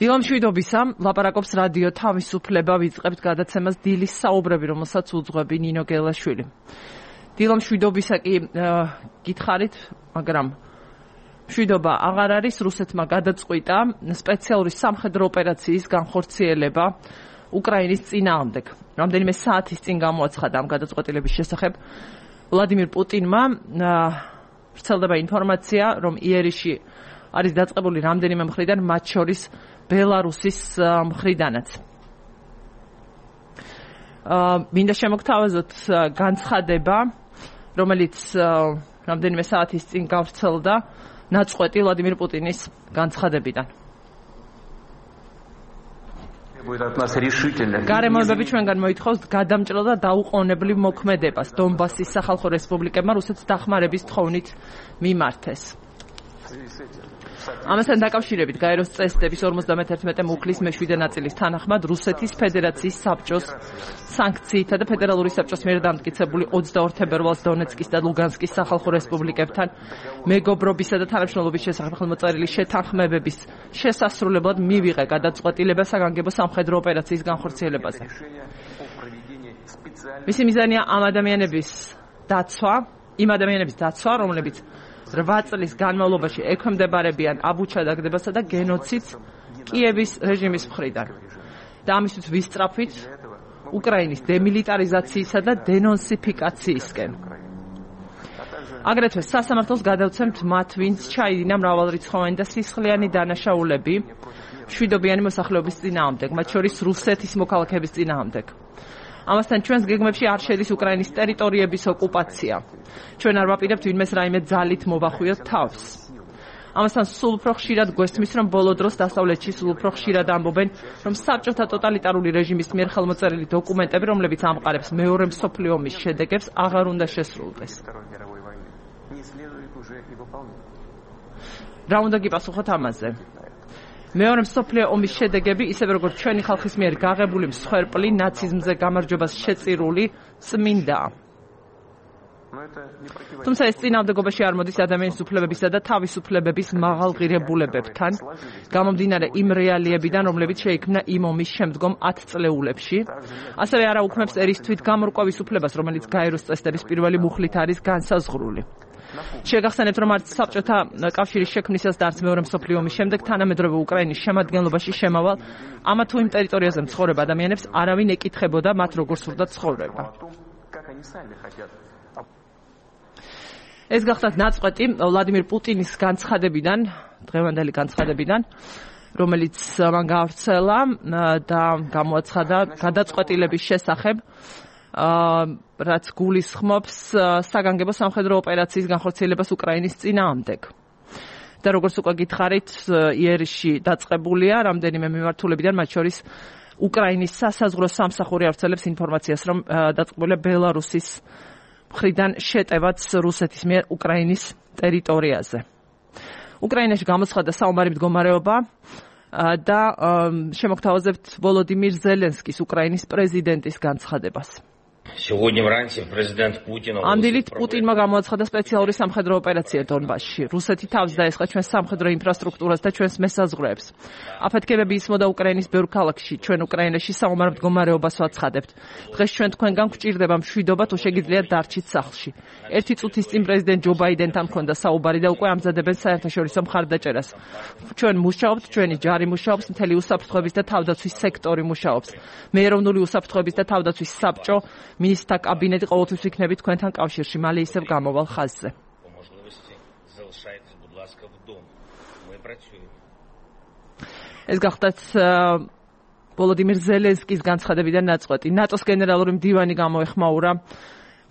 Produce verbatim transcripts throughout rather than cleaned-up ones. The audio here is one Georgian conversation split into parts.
დილამ შვიდობისა, ლაპარაკობს რადიო თავისუფლება, ვიწყებთ გადაცემას დილის საუბრები, რომელსაც უძღვები ნინო გელაშვილი. დილამ შვიდობისა კი გითხარით, მაგრამ შვიდობა აღარ არის, რუსეთმა გადაწყვიტა სპეციალური სამხედრო ოპერაციის განხორციელება უკრაინის წინააღმდეგ. რამდენიმე საათის წინ გამოაცხადა ამ გადაწყვეტილების შესახებ ვლადიმირ პუტინმა ვრცელდება ინფორმაცია, რომ იერიში არის დაწყებული რამდენიმე მხრიდან, მათ შორის ბელარუსის მხრიდანაც. მინდა შემოგთავაზოთ განცხადება, რომელიც რამდენიმე საათის წინ გავრცელდა ნაწყვეტი ვლადიმირ პუტინის განცხადებიდან. გარემოებები ჩვენგან მოითხოვს გადამჭრელ და დაუყოვნებლივ მოქმედებას დონბასის სახალხო რესპუბლიკებმა რუსეთს დახმარების თხოვნით მიმართეს. ამასთან დაკავშირებით გაეროს წესდების ორმოცდამეთერთმეტე მუხლის მეშვიდე ნაწილის თანახმად რუსეთის ფედერაციის საბჭოს სანქციითა და ფედერალური საბჭოს მიერ დამტკიცებული ოცდაორ თებერვალს დონეცკის და ლუგანსკის სახალხო რესპუბლიკებთან მეგობრობისა და თანამშრომლობის შესახებ ხელმოწერილი შეთანხმებების შესასრულებლად მივიღე გადაწყვეტილება საგანგებო სამხედრო ოპერაციის განხორციელებაზე. მისი მიზანია ამ ადამიანების დაცვა, იმ ადამიანების დაცვა, რომლებიც რვა წლის განმავლობაში ექვემდებარებიან აბუჩადაგდებასა და გენოციდს კიევის რეჟიმის მხრიდან. და ამისთვის ვისწრაფვით უკრაინის დემილიტარიზაციისა და დენონსიფიკაციისკენ. აგრეთვე სასამართლოს გადავცემთ მათ, ვინც ჩაიდინა მრავალრიცხოვანი და სისხლიანი დანაშაულები მშვიდობიანი მოსახლეობის წინააღმდეგ, მათ შორის რუსეთის მოქალაქეების წინააღმდეგ. ამასთან ჩვენს გეგმებში არ შედის უკრაინის ტერიტორიების ოკუპაცია. ჩვენ არ ვაპირებთ ვინმეს რაიმე ძალით მოვახვიოთ თავს. ამასთან სულ უფრო ხშირად გვესმის, რომ ბოლო დროს დასავლეთში სულ უფრო ხშირად ამბობენ, რომ საბჭოთა ტოტალიტარული რეჟიმის მიერ ხელმოწერილი დოკუმენტები, რომლებიც ამყარებს მეორე მსოფლიო ომის შედეგებს, აღარ უნდა შესრულდეს. რა უნდა გიპასუხოთ ამაზე? მეორე მსოფლიო ომის შედეგები, ისევე როგორც ჩვენი ხალხის მიერ გაღებული მსხვერპლი, ნაციზმზე გამარჯვებას შეწირული წმინდაა. თუმცა ეს წინააღმდეგობაში არ მოდის ადამიანის უფლებებისა და თავისუფლებების მაღალღირებულებებთან, გამომდინარე იმ რეალიებიდან, რომლებიც შეიქმნა იმ ომის შემდგომ ათწლეულებში. ასევე არ აუქმებს ერისთვით გამორკვევის უფლებას, რომელიც გაეროს წესდების პირველი მუხლით არის განსაზღვრული. შეგახსენებთ, რომ არც საბჭოთა კავშირის შექმნისას და არც მეორე მსოფლიო ომის შემდეგ თანამედროვე უკრაინის შემადგენლობაში შემავალ ამა თუ იმ ტერიტორიაზე მცხოვრებ ადამიანებს არავინ ეკითხებოდა მათ როგორ სურდა ცხოვრება. ეს გახლავთ ნაწყვეტი ვლადიმირ პუტინის განცხადებიდან, დღევანდელი განცხადებიდან, რომელიც მან გავრცელა და გამოაცხადა გადაწყვეტილების შესახებ, რაც გულისხმობს საგანგებო სამხედრო ოპერაციის განხორციელებას უკრაინის წინააღმდეგ. და როგორც უკვე გითხარით, იერიში დაწყებულია რამდენიმე მიმართულებიდან, მათ შორის უკრაინის სასაზღვრო სამსახური ავრცელებს ინფორმაციას, რომ დაწყებულია ბელარუსის მხრიდან შეტევაც რუსეთის მიერ უკრაინის ტერიტორიაზე. უკრაინაში გამოცხადდა საომარი მდგომარეობა და შემოგთავაზებთ ვოლოდიმირ ზელენსკის, უკრაინის პრეზიდენტის განცხადებას. ამ დილით პუტინმა გამოაცხადა სპეციალური სამხედრო ოპერაცია დონბასში. რუსეთი თავს დაესხა ჩვენს სამხედრო ინფრასტრუქტურას და ჩვენს მესაზღვრეებს. აფეთქებები ისმოდა უკრაინის ბევრ ქალაქში. ჩვენ უკრაინაში საომარ მდგომარეობას ვაცხადებთ. დღეს ჩვენ თქვენგან გვჭირდება მშვიდობა, თუ შეგიძლიათ დარჩით სახლში. ერთი წუთის წინ პრეზიდენტ ჯო ბაიდენთან ჰქონდა საუბარი და უკვე ამზადებენ საერთაშორისო მხარდაჭერას. ჩვენ მუშაობთ, ჩვენი ჯარი მუშაობს, მთელი უსაფრთხოების და თავდაცვის სექტორი მუშაობს. მე ეროვნული უსაფრთხოების და თავდაცვის საბჭო მინისტრთა კაბინეტი ყოველთვის ვიქნებით თქვენთან კავშირში, მალე ისევ გამოვალ ხაზზე. ეს გახდათ ვოლოდიმირ ზელენსკის განცხადებიდან ნაწყვეტი. ნატოს გენერალური მდივანი გამოეხმაურა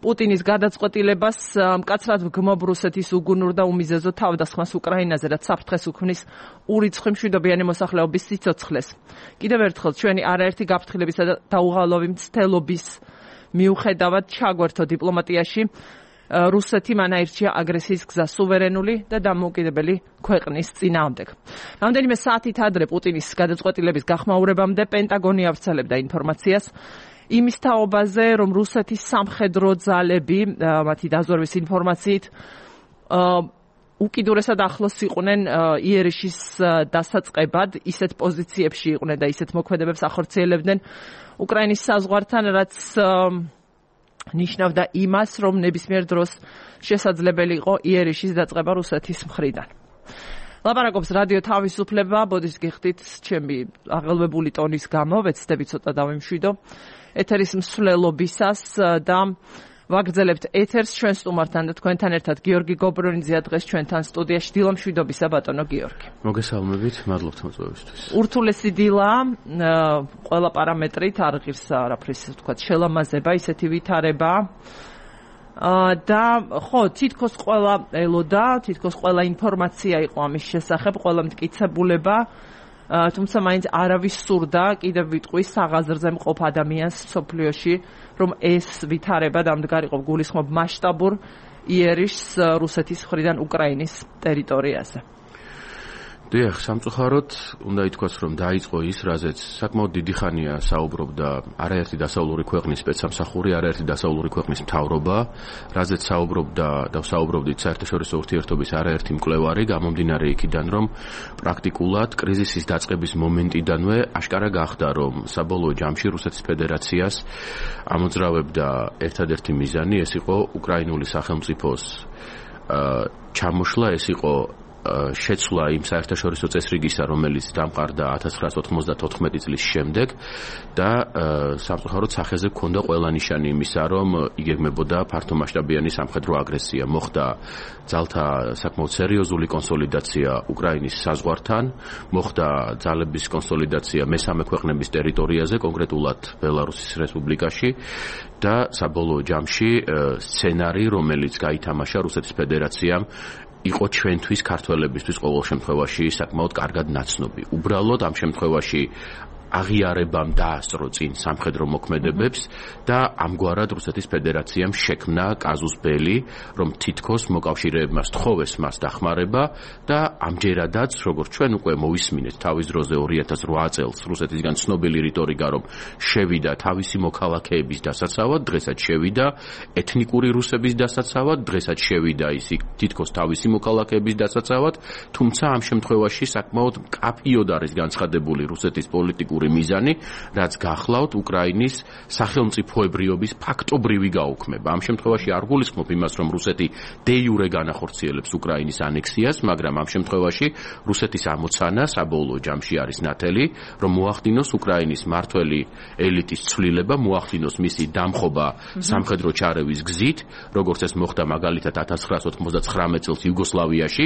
პუტინის გადაწყვეტილებას მკაცრად ვგმობ რუსეთის უგუნურ და უმიზეზო თავდასხმას უკრაინაზე, რაც საფრთხეს უქმნის ურიცხვი მშვიდობიანი მოსახლეობის სიცოცხლეს. კიდევ ერთხელ ჩვენი არაერთი გაფრთხილებისა და დაუღალავი მცდელობის მიუხედავად ჩაგვერთო დიპლომატიაში, რუსეთი მან აირჩია აგრესიის გზა სუვერენული და დამოუკიდებელი ქვეყნის წინააღმდეგ. რამდენიმე საათით ადრე პუტინის გადაწყვეტილების გახმაურებამდე პენტაგონი ავრცელებდა ინფორმაციას იმის თაობაზე, რომ რუსეთის სამხედრო ძალები, მათი დაზვერვის ინფორმაციით, უკიდურესად ახლოს იყვნენ იერიშის დასაწყებად, ისეთ პოზიციებში იყვნენ და ისეთ მოქმედებებს ახორციელებდნენ უკრაინის საზღვართან, რაც ნიშნავდა იმას, რომ ნებისმიერ დროს შესაძლებელი იყო იერიშის დაწყება რუსეთის მხრიდან. ლაპარაკობს რადიო თავისუფლება, ბოდიშ გიხდით ჩემი აღელვებული ტონის გამო, ვეცდები ცოტა დავიმშვიდო ეთერის მსვლელობისას და ვაგრძელებთ ეთერს ჩვენ სტუმართან და თქვენთან ერთად გიორგი გობრონიძეა დღეს ჩვენთან სტუდიაში. დილა მშვიდობისა ბატონო გიორგი. მოგესალმებით, მადლობთ მოწვევისთვის. ურთულესი დილა, ყველა პარამეტრით არ ღირს არაფრის თქვა შელამაზება, ისეთი ვითარება. და ხო, თითქოს ყველა ელოდა, თითქოს ყველა ინფორმაცია იყო ამის შესახებ, ყველა მტკიცებულება, თუმცა მაინც არავის სურდა კიდევ ვიტყვი საღაზრზე მყოფ ადამიანს მსოფლიოში, რომ ეს ვითარება დამდგარიყო გულისხმობ მასშტაბურ იერიშს რუსეთის მხრიდან უკრაინის ტერიტორიაზე. დიახ, სამწუხაროდ უნდა ითქვას, რომ დაიწყო ის, რაზეც საკმაოდ დიდი ხანია საუბრობდა არაერთი დასავლური ქვეყნის სპეცსამსახური, არაერთი დასავლური ქვეყნის მთავრობა, რაზეც საუბრობდა და საუბრობდით საერთაშორისო ურთიერთობის არაერთი მკვლევარი, გამომდინარე იქიდან, რომ პრაქტიკულად კრიზისის დაწყების მომენტიდანვე აშკარა გახდა, რომ საბოლოო ჯამში რუსეთის ფედერაციას ამოძრავებდა ერთადერთი მიზანი, ეს იყო უკრაინული სახელმწიფოს ჩამოშლა, ეს იყო შეცვლა იმ საერთაშორისო წესრიგისა, რომელიც დამყარდა ათას ცხრაას ოთხმოცდათოთხმეტი წლის შემდეგ და სამწუხაროდ სახეზე ჰქონდა ყველა ნიშანი იმისა, რომ იგეგმებოდა ფართომასშტაბიანი სამხედრო აგრესია. მოხდა ძალთა საკმაოდ სერიოზული კონსოლიდაცია უკრაინის საზღვართან, მოხდა ძალების კონსოლიდაცია მესამე ქვეყნების ტერიტორიაზე, კონკრეტულად ბელარუსის რესპუბლიკაში და საბოლოო ჯამში სცენარი, რომელიც გაითამაშა რუსეთის ფედერაციამ, იყო ჩვენთვის ქართველებისთვის ყოველ შემთხვევაში საკმაოდ კარგად ნაცნობი. უბრალოდ ამ შემთხვევაში აღიარებამ დაასწრო წინ სამხედრო მოქმედებებს და ამგვარად რუსეთის ფედერაციამ შექმნა კაზუს ბელი, რომ თითქოს მოკავშირეებმა სთხოვეს მას დახმარება და ამჯერადაც, როგორც ჩვენ უკვე მოვისმინეთ თავის დროზე ორი ათას ოთხ წელს რუსეთისგან ცნობილი რიტორიკა, რომ შევიდა თავისი მოქალაქეების დასაცავად, დღესაც შევიდა ეთნიკური რუსების დასაცავად, დღესაც შევიდა ისი თითქოს თავისი მოქალაქეების დასაცავად, თუმცა ამ შემთხვევაში საკმაოდ მკაფიოდ არის განცხადებული რუსეთის პოლიტიკური მიზანი, რაც გახლავთ უკრაინის სახელმწიფოებრიობის ფაქტობრივი გაუქმება. ამ შემთხვევაში არ გულისხმობ იმას, რომ რუსეთი დე იურე განახორციელებს უკრაინის ანექსიას, მაგრამ ამ შემთხვევაში რუსეთის ამოცანა საბოლოო ჯამში არის ნათელი, რომ მოახდინოს უკრაინის მართველი ელიტის ცვლილება, მოახდინოს მისი დამხობა სამხედრო ჩარევის გზით, როგორც ეს მოხდა მაგალითად ათას ცხრაას ოთხმოცდათხრამეტ წელს იუგოსლავიაში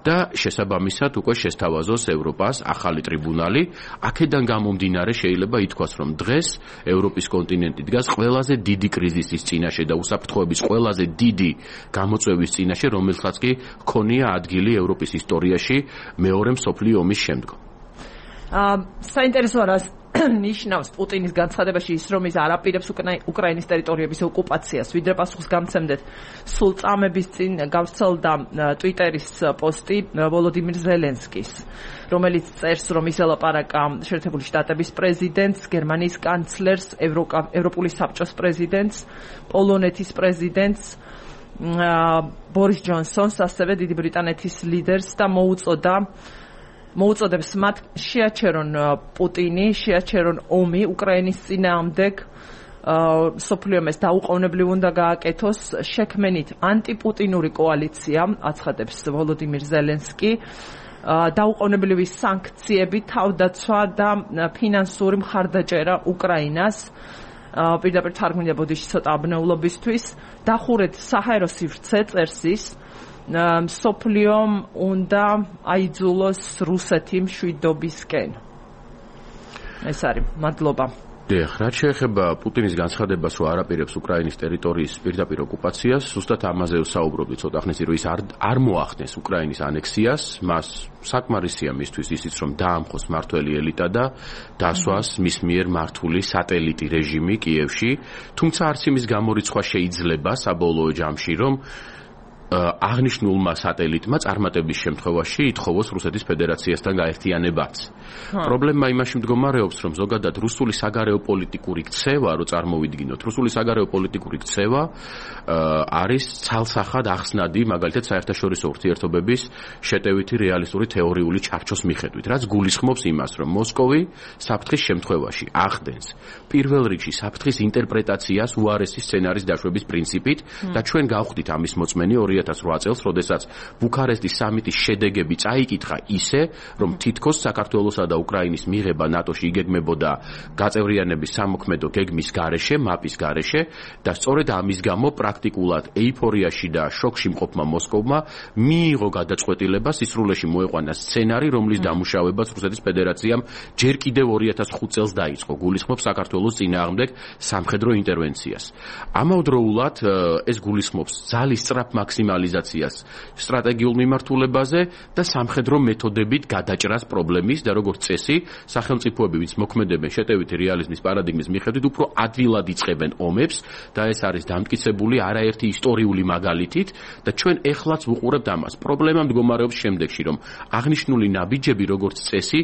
და შესაბამისად უკვე შესთავაზოს ევროპას ახალი ტრიბუნალი. აქედან გამომდინარე შეიძლება ითქვას, რომ დღეს ევროპის კონტინენტი დგას ყველაზე დიდი კრიზისის წინაშე და უსაფრთხოების ყველაზე დიდი გამოწვევის წინაშე, რომელსაც კი ჰქონია ადგილი ევროპის ისტორიაში მეორე მსოფლიო ომის შემდგომ. აა საინტერესო არის ნიშნავს პუტინის განცხადებაში ის, რომ ის არ აპირებს უკრაინის ტერიტორიების ოკუპაციას. ვიდრე პასუხს გამცემდეთ, სულ წამების წინ გავრცელდა ტვიტერის პოსტი ვოლოდიმირ ზელენსკის, რომელიც წერს, რომ ის ელაპარაკა შეერთებული შტატების პრეზიდენტს, გერმანიის კანცლერს, ევროპული საბჭოს პრეზიდენტს, პოლონეთის პრეზიდენტს, ბორის ჯონსონს, ასევე დიდი ბრიტანეთის ლიდერს და მოუწოდა მოუწოდებს მათ შეაჩერონ პუტინი, შეაჩერონ ომი უკრაინის წინააღმდეგ, სოფლიომ ეს დაუყოვნებლივ უნდა გააკეთოს, შექმენით ანტიპუტინური კოალიცია, აცხადებს ვოლოდიმირ ზელენსკი, დაუყოვნებლივი სანქციები, თავდაცვა და ფინანსური მხარდაჭერა უკრაინას. პირდაპირ თარგმნია ბოდიში ცოტა აბნეულობისთვის, დახურეთ საჰაერო სივრცე, წერს ის, მსოფლიომ უნდა აიძულოს რუსეთი მშვიდობისკენ. ეს არის, მადლობა. დიახ, რაც შეეხება პუტინის განცხადებას, რომ არ აპირებს უკრაინის ტერიტორიის პირდაპირ ოკუპაციას, ზუსტად ამაზე ვსაუბრობთ ცოტა ხნის წინ, რომ ის არ არ მოახდენს უკრაინის ანექსიას, მას საკმარისია მისთვის ისიც, რომ დაამხოს მართველი ელიტა და დასვას მის მიერ მართული სატელიტი რეჟიმი კიევში, თუმცა არც იმის გამორიცხვა შეიძლება საბოლოო ჯამში, რომ აღნიშნულმა სატელიტმა წარმატების შემთხვევაში ითხოვოს რუსეთის ფედერაციასთან გაერთიანებაც. პრობლემა იმაში მდგომარეობს, რომ ზოგადად რუსული საგარეო პოლიტიკური ქცევა, რო წარმოვიდგინოთ, რუსული საგარეო პოლიტიკური ქცევა არის ცალსახად ახსნადი, მაგალითად საერთაშორისო ურთიერთობების შეტევითი რეალისტური თეორიული ჩარჩოს მიხედვით, რაც გულისხმობს იმას, რომ მოსკოვი საფრთხის შემთხვევაში ახდენს პირველ რიგში საფრთხის ინტერპრეტაციას უარესი სცენარის დაშვების პრინციპით და ჩვენ გავხდით ამის მოწმენი ორი ათას რვა წელს, როდესაც ბუქარესტის სამიტის შედეგები წაიკითხა ისე, რომ თითქოს საქართველოსა და უკრაინის მიღება ნატოში იგეგმებოდა გაწევრიანების სამოქმედო გეგმის გარეშე, მაპის გარეშე და სწორედ ამის გამო პრაქტიკულად ეიფორიაში და შოკში მყოფმა მოსკოვმა მიიღო გადაწყვეტილება სისრულეში მოეყვანა სცენარი, რომლის დამუშავებაც რუსეთის ფედერაციამ ჯერ კიდევ ორი ათას ხუთ წელს დაიწყო, გულისხმობს საქართველოს წინააღმდეგ სამხედრო ინტერვენციას. ამავდროულად ეს გულისხმობს ძალის სწრაფ მაქსიმალიზაციას სტრატეგიულ მიმართულებაზე და სამხედრო მეთოდებით გადაჭრას პრობლემის და როგორც წესი, სახელმწიფოები, ვინც მოქმედებენ შეტევითი რეალიზმის პარადიგმის მიხედვით, უფრო ადვილად იწყებენ ომებს და ეს არის დამტკიცებული არაერთი ისტორიული მაგალითით და ჩვენ ეხლაც ვუყურებთ ამას. პრობლემა მდგომარეობს შემდეგში, რომ აღნიშნული ნაბიჯები, როგორც წესი,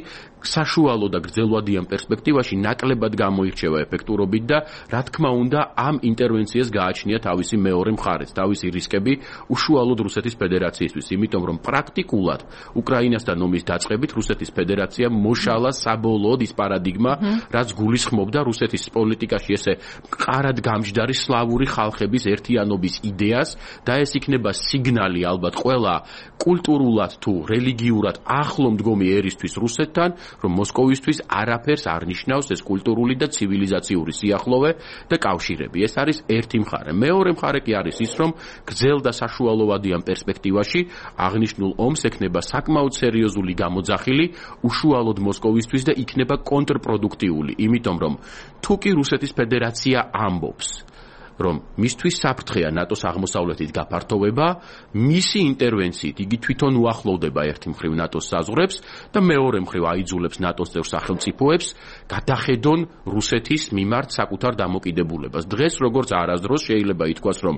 საშუალო და გრძელვადიან პერსპექტივაში ნაკლებად გამოირჩევა ეფექტურობით და რა თქმა უნდა ამ ინტერვენციას გააჩნია თავისი მეორე მხარეც, თავისი რისკები უშუალოდ რუსეთის ფედერაციისთვის, იმიტომ რომ პრაქტიკულად უკრაინასთან ომის დაწყებით რუსეთის ფედერაცია მოშალა საბოლოოდ ის პარადიგმა, რაც გულისხმობდა რუსეთის პოლიტიკაში ესე მყარად გამჯდარი სლავური ხალხების ერთიანობის იდეას და ეს იქნება სიგნალი ალბათ ყველა კულტურულად თუ რელიგიურად ახლო მდგომი ერისთვის რუსეთთან, რომ მოსკოვისთვის არაფერს არ ნიშნავს ეს კულტურული და ცივილიზაციური სიახლოვე და კავშირები. ეს არის ერთი მხარე. მეორე მხარე კი არის ის, რომ გრძელ და საშუალოვადიან პერსპექტივაში აღნიშნულ ომს ექნება საკმაოდ სერიოზული გამოძახილი უშუალოდ მოსკოვისთვის და იქნება კონტრპროდუქტიული, იმიტომ რომ თუ კი რუსეთის ფედერაცია ამბობს, რომ მისთვის საფრთხეა ნატოს აღმოსავლეთით გაფართოვება, მისი ინტერვენციით იგი თვითონ უახლოვდება ერთი მხრივ ნატოს საზღვრებს და მეორე მხრივ აიძულებს ნატოს წევრ სახელმწიფოებს გადახედონ რუსეთის მიმართ საკუთარ დამოკიდებულებას. დღეს როგორც არასდროს შეიძლება ითქვას, რომ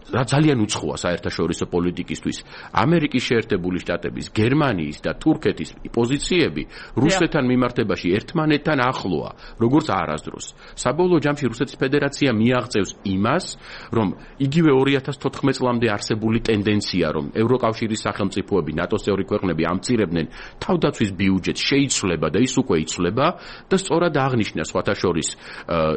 რა ძალიან უცხოა საერთაშორისო პოლიტიკისთვის ამერიკის შეერთებული შტატების, გერმანიის და თურქეთის პოზიციები რუსეთთან მიმართებაში ერთმანეთთან ახლოა, როგორც არასდროს. საბოლოო ჯამში რუსეთის ფედერაცია მიაღწევს იმას, რომ იგივე ორი ათას თოთხმეტ წლამდე არსებული ტენდენცია, რომ ევროკავშირის სახელმწიფოები, ნატოს წევრი ქვეყნები ამცირებდნენ თავდაცვის ბიუჯეტს, შეიცვლება და ის უკვე იცვლება და სწორად აღნიშნა სხვათა შორის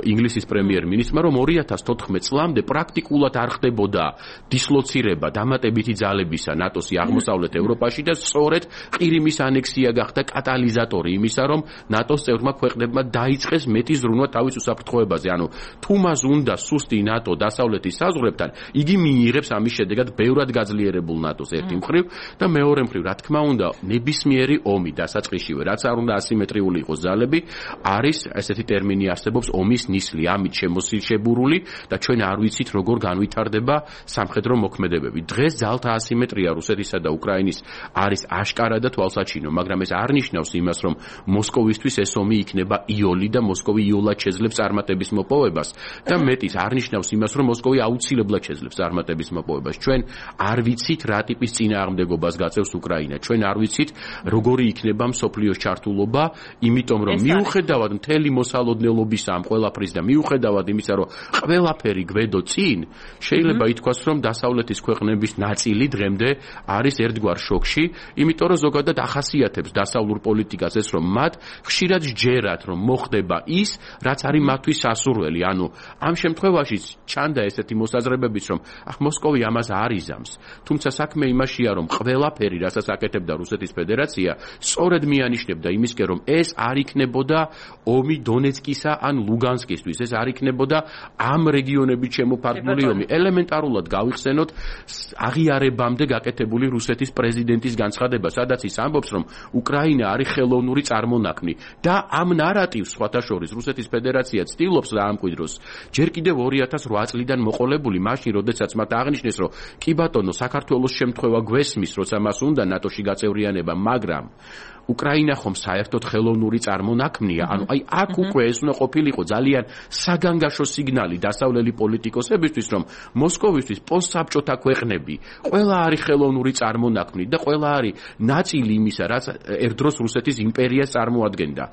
ინგლისის პრემიერ-მინისტრმა, რომ ორი ათას თოთხმეტ წლამდე პრაქტიკულად არ ხდებოდა დისლოცირება დამატებითი ძალებისა ნატოსი აღმოსავლეთ ევროპაში და სწორედ ყირიმის ანექსია გახდა კატალიზატორი იმისა, რომ ნატოს წევრმა ქვეყნებმა დაიწყეს მეტი ზრუნვა თავის უსაფრთხოებაზე. ანუ თუ მას უნდა სუსტი ნატო დასავლეთის საზღვრებთან, იგი მიიღებს ამის შედეგად ბევრად გაძლიერებულ ნატოს ერთი მხრივ და მეორე მხრივ, რა თქმა უნდა, ნებისმიერი ომი დასაწყისშივე, რაც არ უნდა ასიმეტრიული იყოს ძალები, არის ესეთი ტერმინი არსებობს ომის ნისლი, ამით შემოსილშებურული და ჩვენ არ ვიცით როგორ განვითარდება სამხედრო მოქმედებები. დღეს ძალთა ასიმეტრია რუსეთისა და უკრაინის არის აშკარა და თვალსაჩინო, მაგრამ ეს არ ნიშნავს იმას, რომ მოსკოვისთვის ეს ომი იქნება იოლი და მოსკოვი იოლად შეძლებს წარმატების მოპოვებას და მეტის არ ნიშნავს იმას, რომ მოსკოვი აუცილებლად შეძლებს წარმატების მოპოვებას. ჩვენ არ ვიცით რა ტიპის წინააღმდეგობას გაწევს უკრაინა. ჩვენ არ ვიცით როგორი იქნება მსოფლიოს ჩართულობა, იმიტომ რომ მიუხედავად მთელი მოსალოდნელობისა ამ ყველაფრის და მიუხედავად იმისა, რომ ყველაფერი გვედო წინ, შეიძლება ითქვას, რომ დასავლეთის ქვეყნების ნაწილი დღემდე არის ერთგვარ შოკში, იმიტომ რომ ზოგადად ახასიათებს დასავლურ პოლიტიკას ეს, რომ მათ ხშირად სჯერათ, რომ მოხდება ის, რაც არის მათთვის სასურველი. ანუ ამ შემთხვევაში ჩანდა ესეთი მოსაზრებებიც, რომ ახ მოსკოვი ამას არ იზამს. თუმცა საქმე იმაშია, რომ ყველაფერი, რასაც აკეთებდა რუსეთის ფედერაცია, სწორედ მიანიშნებდა იმისკენ, რომ ეს არ იქნებოდა ომი დონეცკისა ან ლუგანსკისთვის, ეს არ იქნებოდა ამ რეგიონებით შემოფარგლული ომი. ელემენტარულად გავიხსენოთ აღიარებამდე გაკეთებული რუსეთის პრეზიდენტის განცხადება, სადაც ის ამბობს, რომ უკრაინა არის ხელოვნური წარმონაქმნი და ამ ნარატივს სხვათა შორის რუსეთის ფედერაცია ცდილობს და ამკვიდროს ჯერ კიდევ ორი ათას ოთხ წლიდან მოყოლებული, მაშინ როდესაც მათ აღნიშნეს, რომ კი ბატონო, საქართველოს შემთხვევა გვესმის, როცა მას უნდა ნატოში გაწევრიანება, მაგრამ უკრაინა ხომ საერთოდ ხელოვნური წარმონაქმნია, ანუ აი აქ უკვე ეს უნდა ყოფილიყო ძალიან საგანგაშო სიგნალი დასავლელი პოლიტიკოსებისთვის, რომ მოსკოვისთვის პოსტსაბჭოთა ქვეყნები ყველა არის ხელოვნური წარმონაქმნი და ყველა არის ნაწილი იმისა, რაც ერთდროს რუსეთის იმპერიას წარმოადგენდა.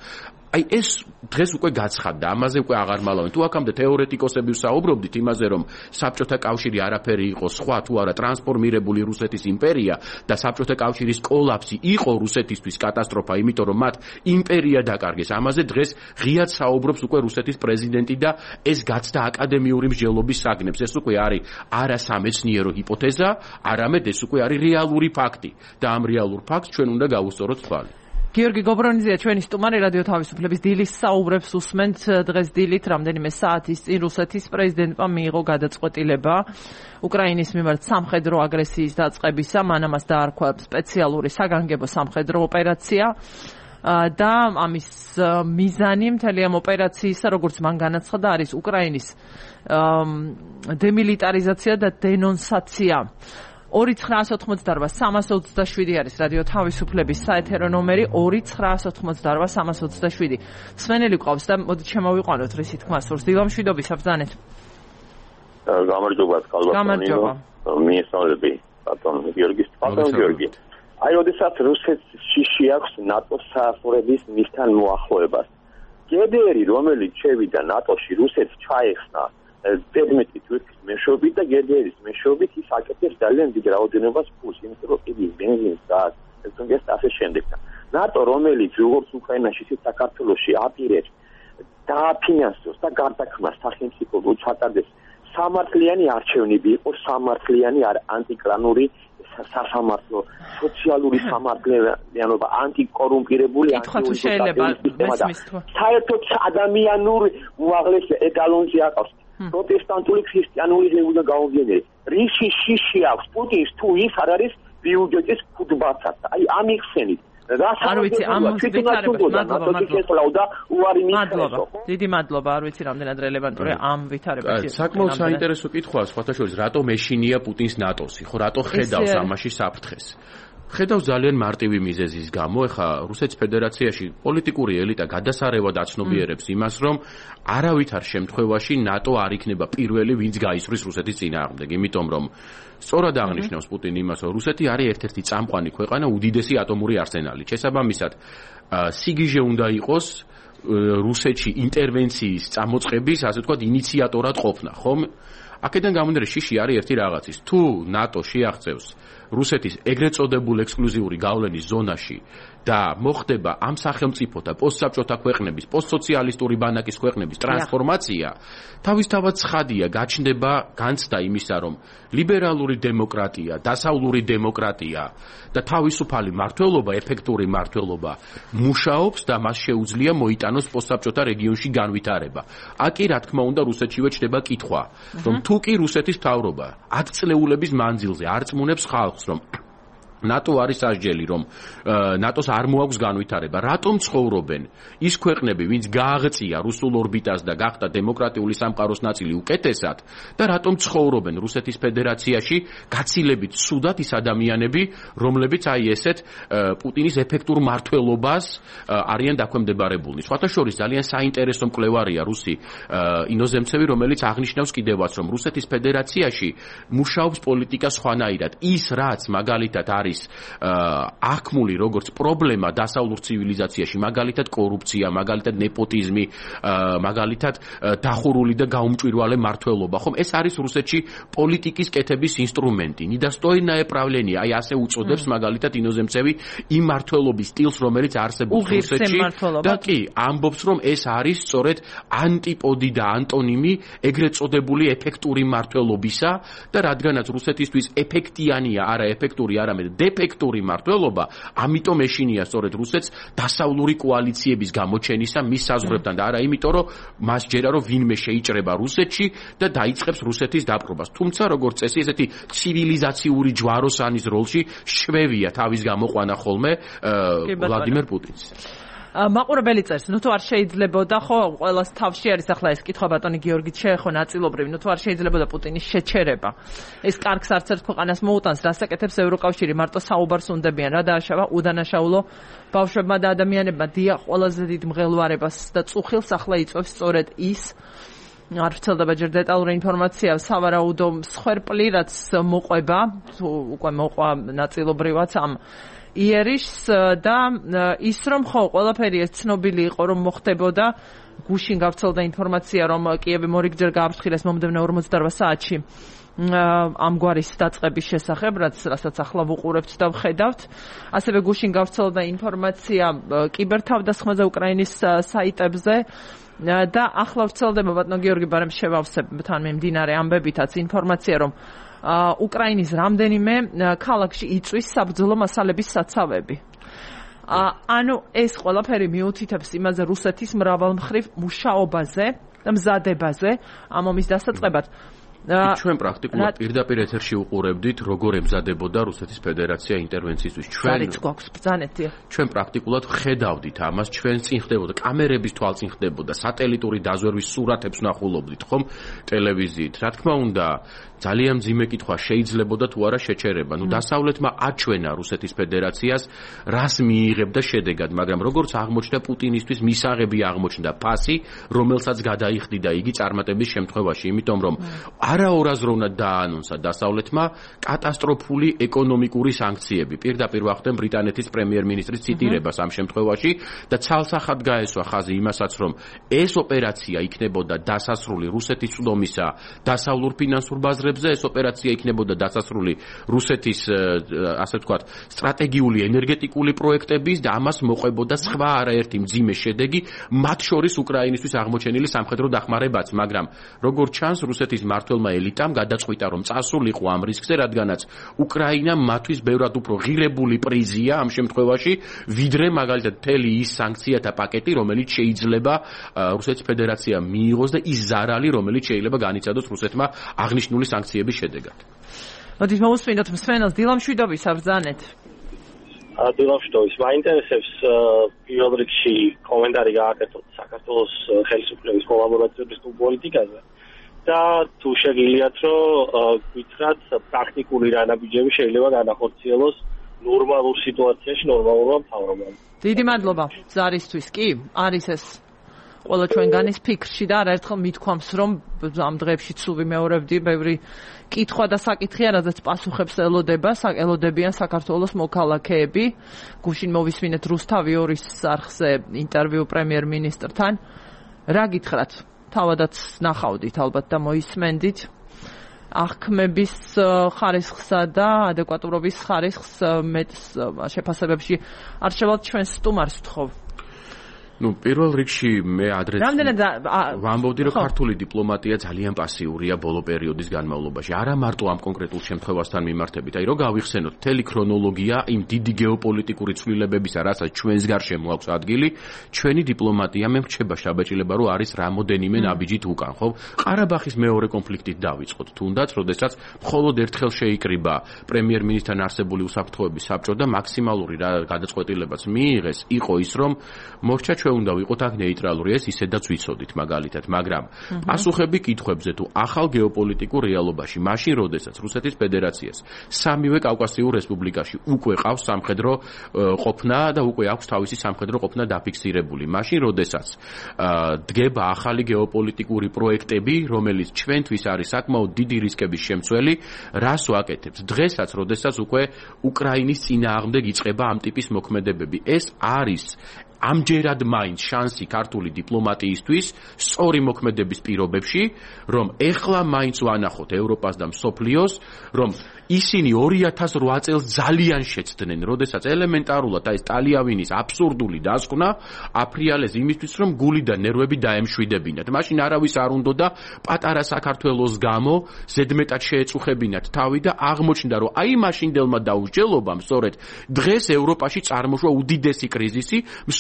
აი ეს დღეს უკვე გაცხადდა, ამაზე უკვე აღარ მალავენ. თუ აქამდე თეორეტიკოსები ვსაუბრობდით იმაზე, რომ საბჭოთა კავშირი არაფერი იყო სხვა, თუ არა ტრანსფორმირებული რუსეთის იმპერია და საბჭოთა კავშირის კოლაფსი იყო რუსეთისთვის კატასტროფა, იმიტომ რომ მათ იმპერია დაკარგეს. ამაზე დღეს ღიად საუბრობს უკვე რუსეთის პრეზიდენტი და ეს გაცდა აკადემიური მსჯელობის საგნებს. ეს უკვე არის არა სამეცნიერო ჰიპოთეზა, არამედ ეს უკვე არის რეალური ფაქტი და ამ რეალურ ფაქტს ჩვენ უნდა გავუსწოროთ თვალი. გიორგი გობრონიძეა ჩვენი სტუმარი, რადიო თავისუფლების დილის საუბრებს უსმენთ. დღეს დილით რამდენიმე საათის წინ რუსეთის პრეზიდენტმა მიიღო გადაწყვეტილება უკრაინის მიმართ სამხედრო აგრესიის დაწყებისა, მან ამას დაარქვა სპეციალური საგანგებო სამხედრო ოპერაცია და ამის მიზანი მთელი ამ ოპერაციისა, როგორც მან განაცხადა, არის უკრაინის დემილიტარიზაცია და დენონსაცია. ორი ცხრაასი ოცდაოთხ სამას ოცდაშვიდი არის რადიო თავისუფლების საეთერო ნომერი ორი ცხრაასი ოცდაოთხ სამას ოცდაშვიდი. სვენელი ყავს და მოდით შემოვიყვანოთ რისი თქმა სურს. დილამშვიდობისა ბრძანეთ. გამარჯობა, გამარჯობა. მიესალმები ბატონ გიორგის, ბატონ გიორგი. აი, როდესაც რუსეთს შიში აქვს ნატოს საახურების მისთან მოახლოებას. გედერი, რომელიც შევიდა ნატოში, რუსეთს ჩაეხსნა ზედმეტი თურქის მეშვეობით და გედერის მეშვეობით ის აკეთებს ძალიან დიდ რაოდენობას ფულს, იმიტომ რომ იგი ბენზინს და ეს ასე შემდეგ. ნატო, რომელიც როგორც უკრაინაში, ისე საქართველოში აპირებს დააფინანსოს და გარდაქმნას სახელმწიფო ჩატარდეს სამართლიანი არჩევნები, იყო სამართლიანი ანტიკრანული სასამართლო, სოციალური სამართლიანობა, ანტიკორუმპირებული ანტიკორუმპირებული. საერთოდ ადამიანურ უაღლეს ეტალონზე აყავს. პროტესტანტული ქრისტიანული უნდა გაუგენდეს. რიში შიში აქვს პუტინს თუ ის არ არის ბიუჯეტის ფუძბაცად. აი ამიხსენით. არ ვიცი, ამ ვითარებაში მადლობა. მადლობა. დიდი მადლობა, არ ვიცი რამდენად რელევანტურია ამ ვითარებაში. საკმაოდ საინტერესო კითხვაა, სხვათა შორის, რატომ ეშინია პუტინს ნატოსი, ხო, რატო ხედავს ამაში საფრთხეს? ხედავს ძალიან მარტივი მიზეზის გამო. ეხა რუსეთის ფედერაციაში პოლიტიკური ელიტა გადასარევად აცნობიერებს იმას, რომ არავითარ შემთხვევაში ნატო არ იქნება პირველი, ვინც გაისვრის რუსეთის წინააღმდეგ, იმიტომ რომ სწორად აღნიშნავს პუტინი იმას, რომ რუსეთი არის ერთ-ერთი წამყვანი ქვეყანა უდიდესი ატომური არსენალით. შესაბამისად, სიგიჟე უნდა იყოს რუსეთში ინტერვენციის წამოწყების, ასე ვთქვათ, ინიციატორად ყოფნა, ხომ? აქედან გამომდინარე, შიში არის ერთი რაღაცის. თუ ნატო შეაღწევს რუსეთის ეგრეთ წოდებულ ექსკლუზიური გავლენის ზონაში და მოხდება ამ სახელმწიფოთა პოსტსაბჭოთა ქვეყნების, პოსტსოციალისტური ბანაკის ქვეყნების ტრანსფორმაცია, თავისთავად ცხადია, გაჩნდება განცდა იმისა, რომ ლიბერალური დემოკრატია, დასავლური დემოკრატია და თავისუფალი მმართველობა, ეფექტური მმართველობა მუშაობს და მას შეუძლია მოიტანოს პოსტსაბჭოთა რეგიონში განვითარება. აკი, რა თქმა უნდა, რუსეთშივე ჩნდება კითხვა, რომ თუ კი რუსეთის მთავრობა ათწლეულების მანძილზე არ წმუნებს ხალხს, რომ ნატო არის სასჯელი, რომ ნატოს არ მოაქვს განვითარება. რატომ ცხოვრობენ ის ქვეყნები, ვინც გააღწია რუსულ ორბიტას და გახდა დემოკრატიული სამყაროს ნაწილი უკეთესად და რატომ ცხოვრობენ რუსეთის ფედერაციაში გაცილებით ცუდად ის ადამიანები, რომლებიც აი ესეთ პუტინის ეფექტურ მმართველობას არიან დაქვემდებარებულნი. სხვათა შორის ძალიან საინტერესო მკვლევარია რუსი ინოზემცევი, რომელიც აღნიშნავს კიდევაც, რომ რუსეთის ფედერაციაში მუშაობს პოლიტიკა სხვანაირად. ის რაც მაგალითად არის აღქმული როგორც პრობლემა დასავლურ ცივილიზაციაში, მაგალითად კორუფცია, მაგალითად ნეპოტიზმი, მაგალითად დახურული და გაუმჭვირვალე მმართველობა, ხომ ეს არის რუსეთში პოლიტიკის კეთების ინსტრუმენტი. ნიდასტოინае პრავლენია, აი ასე უწოდებს მაგალითად ინოზემცევი იმ მმართველობის სტილს, რომელიც არსებობს რუსეთში და კი ამბობს, რომ ეს არის სწორედ ანტიპოდი და ანტონიმი ეგრეთ წოდებული ეფექტური მმართველობისა და რადგანაც რუსეთისთვის ეფექტიანია, არა ეფექტური, არამედ დეფექტური მმართველობა, ამიტომ ეშინია სწორედ რუსეთს დასავლური კოალიციების გამოჩენისა მის საზღვრებთან და არა იმიტომ, რომ მას ჯერა რომ ვინმე შეიჭრება რუსეთში და დაიწყებს რუსეთის დაპყრობას. თუმცა როგორც წესი, ესეთი ცივილიზაციური ჯვაროსანის როლში შვევია თავის გამოყვანა ხოლმე ვლადიმერ პუტინს. მაყურებელი წერს, ნუ თუ არ შეიძლებოდა, ხო, ყველას თავში არის ახლა ეს კითხვა ბატონი გიორგით შეეხო ნაწილობრივ, ნუ თუ არ შეიძლებოდა პუტინის შეჩერება. ეს კარგს არც ერთ ქვეყანას მოუტანს, რასაკეთებს ევროკავშირი, მარტო საუბარს უნდებიან, რა დააშავა უდანაშაულო ბავშვებმა და ადამიანებმა. დიახ, ყველაზე დიდ მღელვარებას და წუხილს ახლა იწვევს სწორედ ის არ ვრცელდება ჯერ დეტალური ინფორმაცია, სავარაუდო მსხვერპლი, რაც მოყვება, უკვე მოყვა ნაწილობრივად ამ იერიშს და ის რომ ხო ყველაფერი ეს ცნობილი იყო რომ მოხდებოდა გუშინ გავრცელდა ინფორმაცია რომ კიევი მორიგჯერ გააფრთხილეს მომდევნო ორმოცდაორ საათში ამგვარის დაწყების შესახებ რაც რასაც ახლა ვუყურებთ და ვხედავთ ასევე გუშინ გავრცელდა ინფორმაცია კიბერთავდასხმაზე უკრაინის საიტებზე და ახლა ვრცელდება ბატონო გიორგი ბარემ შევავსებ თან მიმდინარე ამბებითაც ინფორმაცია რომ უკრაინის რამდენიმე ქალაქში იწვის საბრძოლო მასალების საცავები. ანუ ეს ყველაფერი მიუთითებს იმაზე რუსეთის მრავალმხრივ მუშაობაზე და მზადებაზე ამ ომის დასაწყებად. ჩვენ პრაქტიკულად პირდაპირ ეთერში უყურებდით როგორ ემზადებოდა რუსეთის ფედერაცია ინტერვენციისთვის. ჩვენ არც გვაქვს ბრძანეთი. ჩვენ პრაქტიკულად ხედავდით ამას, ჩვენ წინ ხდებოდა კამერების თვალწინ ხდებოდა, სატელიტური დაზვერვის სურათებს ვნახულობდით, ხომ, ტელევიზიით. რა თქმა უნდა, ძალიან მძიმე კითხვა შეიძლებოდა თუ არა შეჩერება. ნუ დასავლეთმა აჩვენა რუსეთის ფედერაციას რას მიიღებდა შედეგად, მაგრამ როგორც აღმოჩნდა პუტინისთვის მისაღები აღმოჩნდა ფასი, რომელსაც გადაიხდიდა იგი წარმატების შემთხვევაში, იმიტომ რომ არაორაზროვნად დააანონსა დასავლეთმა კატასტროფული ეკონომიკური სანქციები. პირდაპირ ვახდენ ბრიტანეთის პრემიერ-მინისტრის ციტირებას ამ შემთხვევაში და ცალსახად გაესვა ხაზი იმასაც, რომ ეს ოპერაცია იქნებოდა დასასრული რუსეთის წვდომისა დასავლურ ფინანსურ ბაზრებზე, ეს ოპერაცია იქნებოდა დასასრული რუსეთის, ასე ვთქვათ, სტრატეგიული ენერგეტიკული პროექტების და ამას მოყვებოდა სხვა არაერთი მძიმე შედეგი, მათ შორის უკრაინისთვის აღმოჩენილი სამხედრო დახმარებაც, მაგრამ როგორც ჩანს რუსეთის მმართველმა ელიტამ გადაწყვიტა რომ წასულიყო ამ რისკზე, რადგანაც უკრაინა მათთვის ბევრად უფრო ღირებული პრიზია ამ შემთხვევაში, ვიდრე მაგალითად მთელი ის სანქციათა პაკეტი, რომელიც შეიძლება რუსეთის ფედერაციამ მიიღოს და ის ზარალი, რომელიც შეიძლება განიცადოს რუსეთმა აღნიშნული სანქციების შედეგად. მოდით მოვუსმინოთ მსმენელს დილამ შვიდობის აბრძანეთ. დილამ შვიდობის. მაინტერესებს პირველ რიგში კომენტარი გააკეთოთ საქართველოს ხელისუფლების კოლაბორაციების პოლიტიკაზე. და თუ შეგიძლიათ რომ გითხრათ პრაქტიკული რანაბიჯები შეიძლება განახორციელოს ნორმალურ სიტუაციაში ნორმალურმა მთავრობამ. დიდი მადლობა ზარისთვის. კი, არის ეს ყველა ჩვენგანის ფიქრში და არაერთხელ მithქვამს რომ ამ დღეებში სულ ვიმეორებდი ბევრი კითხვა და საკითხია, რაზეც პასუხებს ელოდება, ელოდებიან საქართველოს მოქალაქეები. გუშინ მოვისმინეთ რუსთავი ორის არხზე ინტერვიუ პრემიერ-მინისტრთან. რა გითხრათ? თავადაც ნახავდით ალბათ და მოისმენდით აღქმების ხარისხსა და ადეკვატურობის ხარისხს მეტ შეფასებებში არჩევად ჩვენ სტუმარს ვთხოვ. ნუ პირველ რიგში მე ადრე რამდენად ვამბობდი რომ ქართული დიპლომატია ძალიან პასიურია ბოლო პერიოდის განმავლობაში. არა მარტო ამ კონკრეტულ შემთხვევასთან მიმართებით. აი რო გავიხსენოთ მთელი ქრონოლოგია იმ დიდი გეოპოლიტიკური ცვლილებებისა, რასაც ჩვენს გარშემო აქვს ადგილი, ჩვენი დიპლომატია მე მრჩება შაბეჭილება რომ არის რამოდენიმე ნაბიჯით უკან, ხო? ყარაბაღის მეორე კონფლიქტით დავიწყოთ. თუნდაც, როდესაც მხოლოდ ერთხელ შეიკრიბა პრემიერ-მინისტრთან არსებული უსაფრთხოების საბჭო და მაქსიმალური გადაწყვეტილებაც მიიღეს, იყო ის რომ მოხდა უნდა ვიყოთ აქ ნეიტრალური, ეს ისედაც ვიცოდით მაგალითად, მაგრამ პასუხები კითხვებზე თუ ახალ გეოპოლიტიკურ რეალობაში, მაშინ როდესაც რუსეთის ფედერაციას სამივე კავკასიურ რესპუბლიკაში უკვე ყავს სამხედრო ყოფნა და უკვე აქვს თავისი სამხედრო ყოფნა დაფიქსირებული, მაშინ როდესაც დგება ახალი გეოპოლიტიკური პროექტები, რომელიც ჩვენთვის არის საკმაოდ დიდი რისკების შემცველი, რას ვაკეთებთ? დღესაც, როდესაც უკვე უკრაინის წინააღმდეგ იწყება ამ ტიპის მოქმედებები, ეს არის ამჯერად მაინც შანსი ქართული დიპლომატიისთვის სწორი მოქმედების პირობებში, რომ ეხლა მაინც ვანახოთ ევროპას და მსოფლიოს, რომ ისინი ორი ათას ორი წელს ძალიან შეცდნენ, როდესაც ელემენტარულად აი ეს ტალიავილის აბსურდული დასკვნა აფრიალეს იმისთვის, რომ გული და ნერვები დაემშვიდებინათ. მაშინ არავის არ უნდოდა პატარა საქართველოს გამო ზედმეტად შეეწუხებინათ თავი და აღმოჩნდა, რომ აი მაშინდელმა დაუსჯელობამ სწორედ დღეს ევროპაში წარმოშვა უდიდესი კრიზისი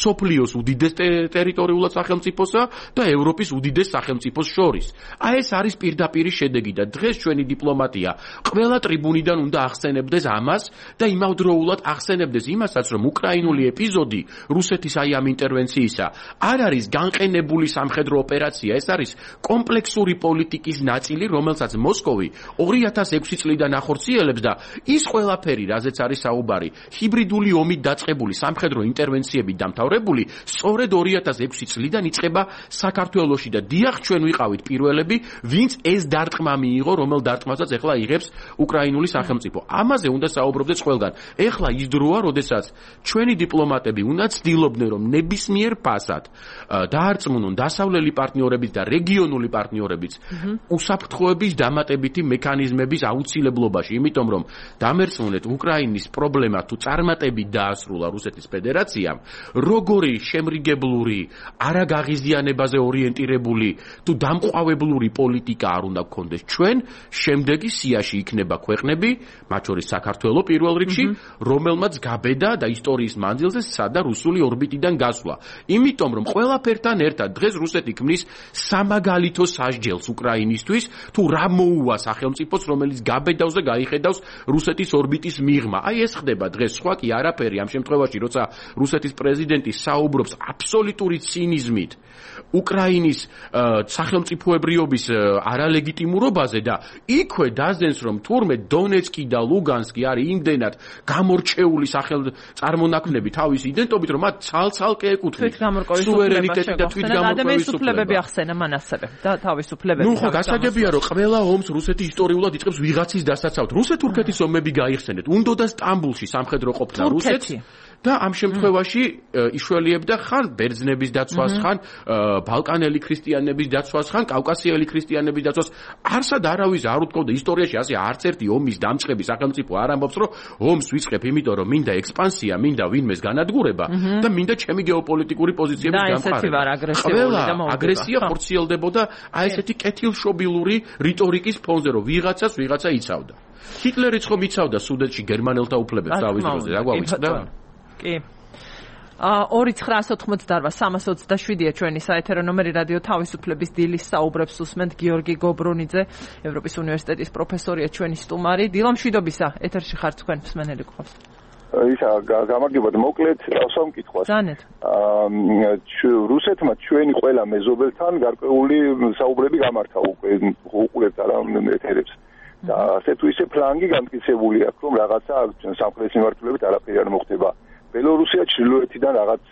მსოფლიოს უდიდეს ტერიტორიულად სახელმწიფოსა და ევროპის უდიდეს სახელმწიფოს შორის. აი ეს არის პირდაპირი შედეგი და დღეს ჩვენი დიპლომატია ყველა ტრიბუნიდან უნდა ახსენებდეს ამას და იმავდროულად ახსენებდეს იმასაც, რომ უკრაინული ეპიზოდი რუსეთის აი ამ ინტერვენციისა არ არის განყენებული სამხედრო ოპერაცია, ეს არის კომპლექსური პოლიტიკის ნაწილი, რომელსაც მოსკოვი ორი ათას ექვსი წლიდან ახორციელებს და ის ყველაფერი, რაზეც არის საუბარი, ჰიბრიდული ომით დაწყებული სამხედრო ინტერვენციებით დამთავრებული, სწორედ ორი ათას ექვსი წლიდან იწყება საქართველოში და დიახ, ჩვენ ვიყავით პირველები, ვინც ეს დარტყმა მიიღო, რომელ დარტყმასაც ეხლა იღებს უკრაინული სახელმწიფო. ამაზე უნდა საუბრობდეს ყველგან. ეხლა ის დროა, როდესაც ჩვენი დიპლომატები უნდა ცდილობდნენ, რომ ნებისმიერ ფასად დაარწმუნონ დასავლელი პარტნიორების და რეგიონული პარტნიორების უსაფრთხოების დამატებითი მექანიზმების აუცილებლობაში, იმიტომ რომ დამერწმუნეთ უკრაინის პრობლემა თუ წარმატებით დაასრულა რუსეთის ფედერაციამ, როგორი შემრიგებლური, არაგაღიზიანებაზე ორიენტირებული თუ დამყვავებლური პოლიტიკა არ უნდა გქონდეს ჩვენ, შემდეგი სიაში იქნება ქვეყნები, მათ შორის საქართველო პირველ რიგში, რომელმაც გაბედა და ისტორიის მანძილზე სცადა რუსული ორბიტიდან გასვლა. იმიტომ რომ ყველაფერთან ერთად დღეს რუსეთი ქმნის სამაგალითო სასჯელს უკრაინისთვის, თუ რა მოუვა სახელმწიფოს, რომელიც გაბედავს და გაიხედავს რუსეთის ორბიტის მიღმა. აი ეს ხდება დღეს, სხვა კი არაფერი ამ შემთხვევაში, როცა რუსეთის პრეზიდენტი საუბრობს აბსოლუტური ცინიზმით უკრაინის სახელმწიფოებრიობის არალეგიტიმურობაზე და იქვე დაზდენს, რომ თურმე დონეცკი და ლუგანსკი არის იმდენად გამორჩეული სახელმწარმონაქმნები თავის იდენტობით, რომ მათ ცალ-ცალკე ეკუთვნის სუვერენიტეტი და თვითგამორკვევის უფლებები ახსენა მან ასევე და თავისუფლებები. ნუ ხო გასაგებია, რომ ყველა ომს რუსეთი ისტორიულად იწყებს ვიღაცის დასაცავად. რუსეთ-თურქეთის ომები გაიხსენეთ. უნდოდა სტამბულში სამხედრო ყოფნა რუსეთს და ამ შემთხვევაში იშველიებდა ხან ბერძნების დაცვას, ხან ბალკანელი ქრისტიანების დაცვას, ხან კავკასიელი ქრისტიანების დაცვას. არსად არავის არ უთქოვდა ისტორიაში ასე არც ერთი ომის დამწყები სახელმწიფო არ ამბობს, რომ ომს ვიწყებ, იმიტომ რომ მინდა ექსპანსია, მინდა ვინმეს განადგურება და მინდა ჩემი გეოპოლიტიკური პოზიციების დამყარება. ყველა აგრესია ხორციელდებოდა აი ესეთი კეთილშობილური რიტორიკის ფონზე, რომ ვიღაცას ვიღაცა იცავდა. ჰიტლერიც ხომ იცავდა სუდეტში გერმანელთა უფლებებს თავის დროზე, რა გვაუწყდა? კი. ორი ცხრა ოთხმოცდაოთხ სამას ოცდაშვიდია ჩვენი საეთერო ნომერი რადიო თავისუფლების დილის საუბრებს უსმენთ გიორგი გობრუნიძე, ევროპის უნივერსიტეტის პროფესორია ჩვენი სტუმარი. დილა მშვიდობისა, ეთერში ხართ თქვენ მსმენელი გყავს. ისა გამარჯობათ, მოკლედ დავსამკითხვას. ზანეთ. აა რუსეთმა ჩვენი ყველა მეზობელთან გარკვეული საუბრები გამართა უკვე უყურებთ არა ეთერებს. და ასე თუ ისე ფლანგი გამტკიცებული აქვს, რომ რაღაცა სამხრეთის მიმართულებით არაფერი არ მოხდება. ბელორუსია ჩრდილოეთიდან რაღაც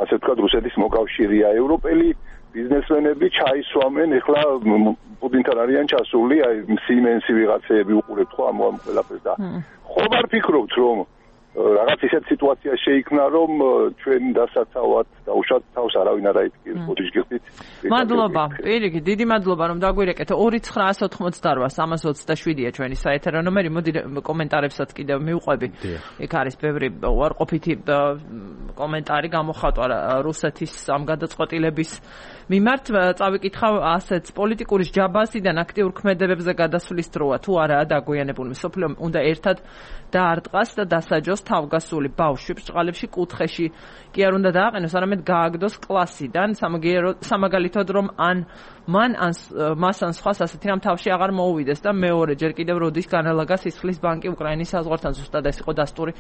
ასე ვთქვათ რუსეთის მოკავშირეა. ევროპელი ბიზნესმენები ჩაისვამენ, ეხლა პუტინთან არიან ჩასული, აი სიმენსი ვიღაცეები უყურებთ ხო ამ ყველაფერს და ხომ არ ფიქრობთ, რომ რაღაც ისეთ სიტუაცია შეიქმნა, რომ ჩვენ დასაცავად და უშავთ თავს არავინ არ აიდგეს. მოდი გიხდით. მადლობა. პირიქით, დიდი მადლობა რომ დაგვირეკეთ. ორი ცხრა ოთხმოცდაოთხ სამას ოცდაშვიდია ჩვენი საეთერო ნომერი. მოდი კომენტარებსაც კიდევ მივყვები. იქ არის ბევრი უარყოფითი კომენტარი გამოხატვა რუსეთის ამ გადაწყვეტილების მიმართ. წავიკითხავ ასეც, პოლიტიკური ჯაბასიდან აქტიურ ქმედებებზე გადასვლის დროა თუ არაა დაგვიანებული. მსოფლიო უნდა ერთად დაარტყას და დასაჯოს თავგასული ბავშვი ბრჭყალებში კუთხეში კი არ უნდა დააყენოს, არამედ გააგდოს კლასიდან, სამაგალითოდ რომ ან მან ან მას ან სხვას ასეთი რამ თავში აღარ მოუვიდეს და მეორე ჯერ კიდევ როდის განალაგა სისხლის ბანკი უკრაინის საზღვართან, ზუსტად ეს იყო დასტური,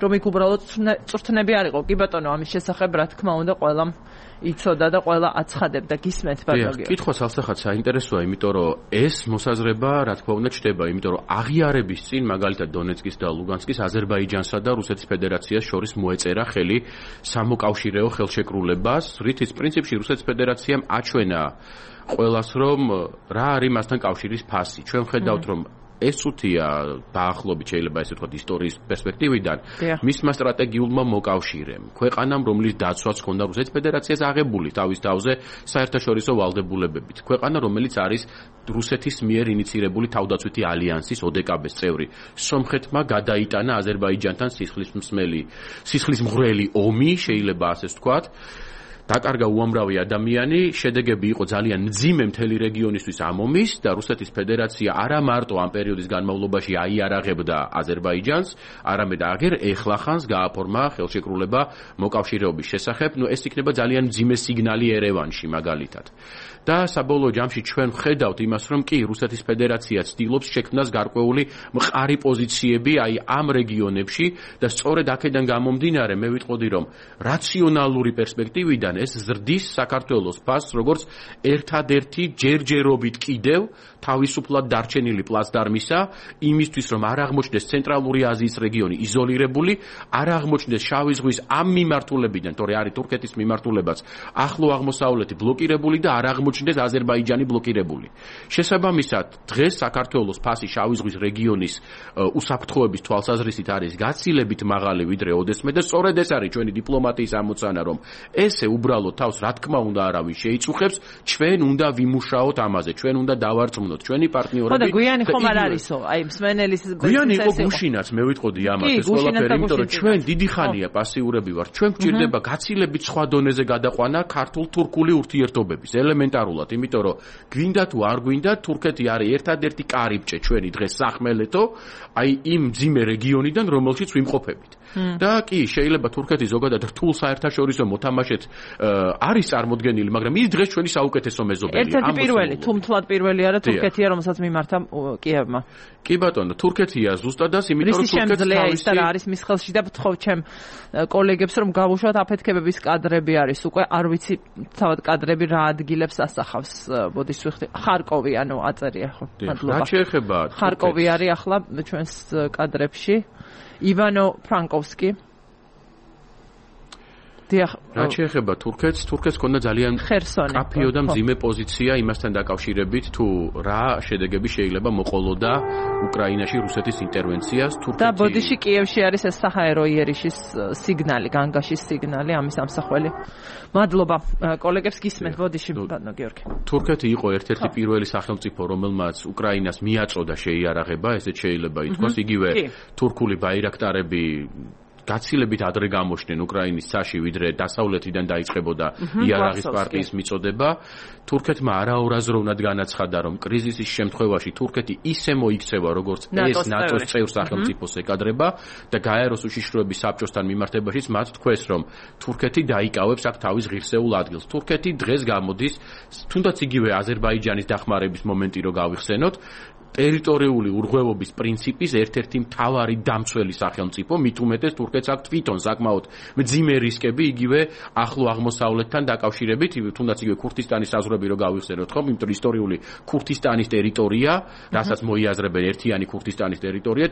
რომ იქ უბრალოდ წვრთნები არ იყო. კი ბატონო, ამის შესახებ რა თქმა უნდა ყველამ იცოდა და ყველა აცხადებდა. გისმენთ ბატონო. კითხვა სალსახად საინტერესოა, იმიტომ რომ ეს მოსაზრება რა თქმა უნდა ჩდება, იმიტომ რომ აღიარების წინ მაგალითად დონეცკის და ლუგანსკის აზერბაიჯანსა და რუსეთის ფედერაციას შორის მოეწერა ხელი სამოკავშირეო ხელშეკრულებას, რითიც პრინციპში რუსეთის ფედერაციამ აჩვენა ყველას, რომ რა არის მასთან კავშირის ფასი. ჩვენ ხედავთ, რომ ეს უთია დაახლოებით შეიძლება ესე ვთქვათ ისტორიის პერსპექტივიდან მისმა სტრატეგიულმა მოკავშირემ, ქვეყანამ, რომლის დაცვაც ჰქონდა რუსეთის ფედერაციას აღებული თავის თავზე საერთაშორისო ვალდებულებებით, ქვეყანა, რომელიც არის რუსეთის მიერ ინიცირებული თავდაცვითი ალიანსის ოდეკაბეს წევრი. სომხეთმა გადაიტანა აზერბაიჯანთან სისხლისმსმელი, სისხლისმღვრელი ომი, შეიძლება ასე ვთქვათ. დაკარგა უამრავი ადამიანი, შედეგები იყო ძალიან მძიმე მთელი რეგიონისთვის ამ ომის და რუსეთის ფედერაცია არა მარტო ამ პერიოდის განმავლობაში აიარაღებდა აზერბაიჯანს, არამედ აგერ ეხლახანს გააფორმა ხელშეკრულება მოკავშირეობის შესახებ. ნუ ეს იქნება ძალიან მძიმე სიგნალი ერევანში მაგალითად. და საბოლოო ჯამში ჩვენ ვხედავთ იმას, რომ კი რუსეთის ფედერაცია ცდილობს შექმნას გარკვეული მყარი პოზიციები აი ამ რეგიონებში და სწორედ აქედან გამომდინარე მე ვიტყოდი, რომ რაციონალური პერსპექტივიდან ეს ზრდის საქართველოს ფასს, როგორც ერთადერთი ჯერჯერობით კიდევ თავისუფლად დარჩენილი პლაცდარმისა იმისთვის, რომ არ აღმოჩნდეს ცენტრალური აზიის რეგიონი იზოლირებული, არ აღმოჩნდეს შავი ზღვის ამ მიმართულებიდან, თორე არის თურქეთის მიმართულებაც ახლო აღმოსავლეთი ბლოკირებული და არ აღმოჩნდეს აზერბაიჯანი ბლოკირებული. შესაბამისად, დღეს საქართველოს ფასი შავი ზღვის რეგიონის უსაფრთხოების თვალსაზრისით არის გაცილებით მაღალი ვიდრე ოდესმე და სწორედ ეს არის ჩვენი დიპლომატიის ამოცანა, რომ ესე უბრალოდ თავს რა თქმა უნდა არავის შეიწუხებს, ჩვენ უნდა ვიმუშაოთ ამაზე, ჩვენ უნდა დავარწმუნოთ ჩვენი პარტნიორები. ხო და გვიანი ხომ არ არისო, აი მსმენელის გვიანი იყო გუშინაც, მე ვიტყოდი ამას ეს ყველაფერი, იმიტომ რომ ჩვენ დიდი ხანია პასიურები ვართ. ჩვენ გვჭირდება გაცილებით სხვა დონეზე გადაყვანა ქართულ-თურქული ურთიერთობების ელემენტარულად, იმიტომ რომ გვინდა თუ არ გვინდა, თურქეთი არის ერთადერთი კარიბჭე ჩვენი დღეს სახმელეთო, აი იმ მძიმე რეგიონიდან, რომელშიც ვიმყოფებით. და კი, შეიძლება თურქეთი ზოგადად რთულ საერთაშორისო მოთამაშედ არის წარმოდგენილი, მაგრამ ის დღეს ჩვენი საუკეთესო მეზობელია. ერთ-ერთი პირველი, თუ მთლად პირველი არა თურქეთია, რომელსაც მიმართა კიევმა. კი ბატონო, თურქეთია ზუსტადაც, იმიტომ რომ თურქეთი თავისი და არის მის ხელში და ვთხოვ ჩემ კოლეგებს რომ გავუშვათ აფეთქებების კადრები არის უკვე, არ ვიცი თავად კადრები რა ადგილებს ასახავს, ბოდიშ ვიხდი, ხარკოვი, ანუ აწერია ხო. მადლობა. რა შეეხება ხარკოვი არის ახლა ჩვენს კადრებში. ივანო ფრანკოვსკი. რა შეეხება თურქეთს, თურქეთს ქონდა ძალიან კაფიო და მძიმე პოზიცია იმასთან დაკავშირებით, თუ რა შედეგები შეიძლება მოყოლოდა უკრაინაში რუსეთის ინტერვენციას. თურქეთი და ბოდიში კიევში არის ეს საჰაერო იერიშის სიგნალი, განგაშის სიგნალი, ამის ამსახველი. მადლობა კოლეგებს გისმენთ, ბოდიში ბატონო გიორგი. თურქეთი იყო ერთ-ერთი პირველი სახელმწიფო, რომელმაც უკრაინას მიაწოდა შეიარაღება, ესეც შეიძლება ითქვას, იგივე თურქული ბაირაქტარები გაცილებით ადრე გამოჩნდნენ უკრაინის ცაში, ვიდრე დასავლეთიდან დაიწყებოდა იარაღის პარტიის მიწოდება. თურქეთმა არაორაზროვნად განაცხადა, რომ კრიზისის შემთხვევაში თურქეთი ისე მოიქცევა, როგორც ეს ნატოს წევრ სახელმწიფოს ეკადრება და გაეროს უშიშროების საბჭოსთან მიმართებაშიც მათ თქვეს, რომ თურქეთი დაიკავებს აქ თავის ღირსეულ ადგილს. თურქეთი დღეს გამოდის, თუნდაც იგივე აზერბაიჯანის დახმარების მომენტი რო გავიხსენოთ, ტერიტორიული ურღვევობის პრინციპის ერთ-ერთი მთავარი დამცველი სახელმწიფო, მით უმეტეს თურქეთს აქვს თვითონ საკმაოდ მძიმე რისკები იგივე ახლო აღმოსავლეთთან დაკავშირებით, თუნდაც იგივე ქურთისტანის საზღვრები რო გავიხსენოთ, ხო, იმიტომ ისტორიული ქურთისტანის ტერიტორია, რასაც მოიაზრებენ ერთიანი ქურთისტანის ტერიტორია,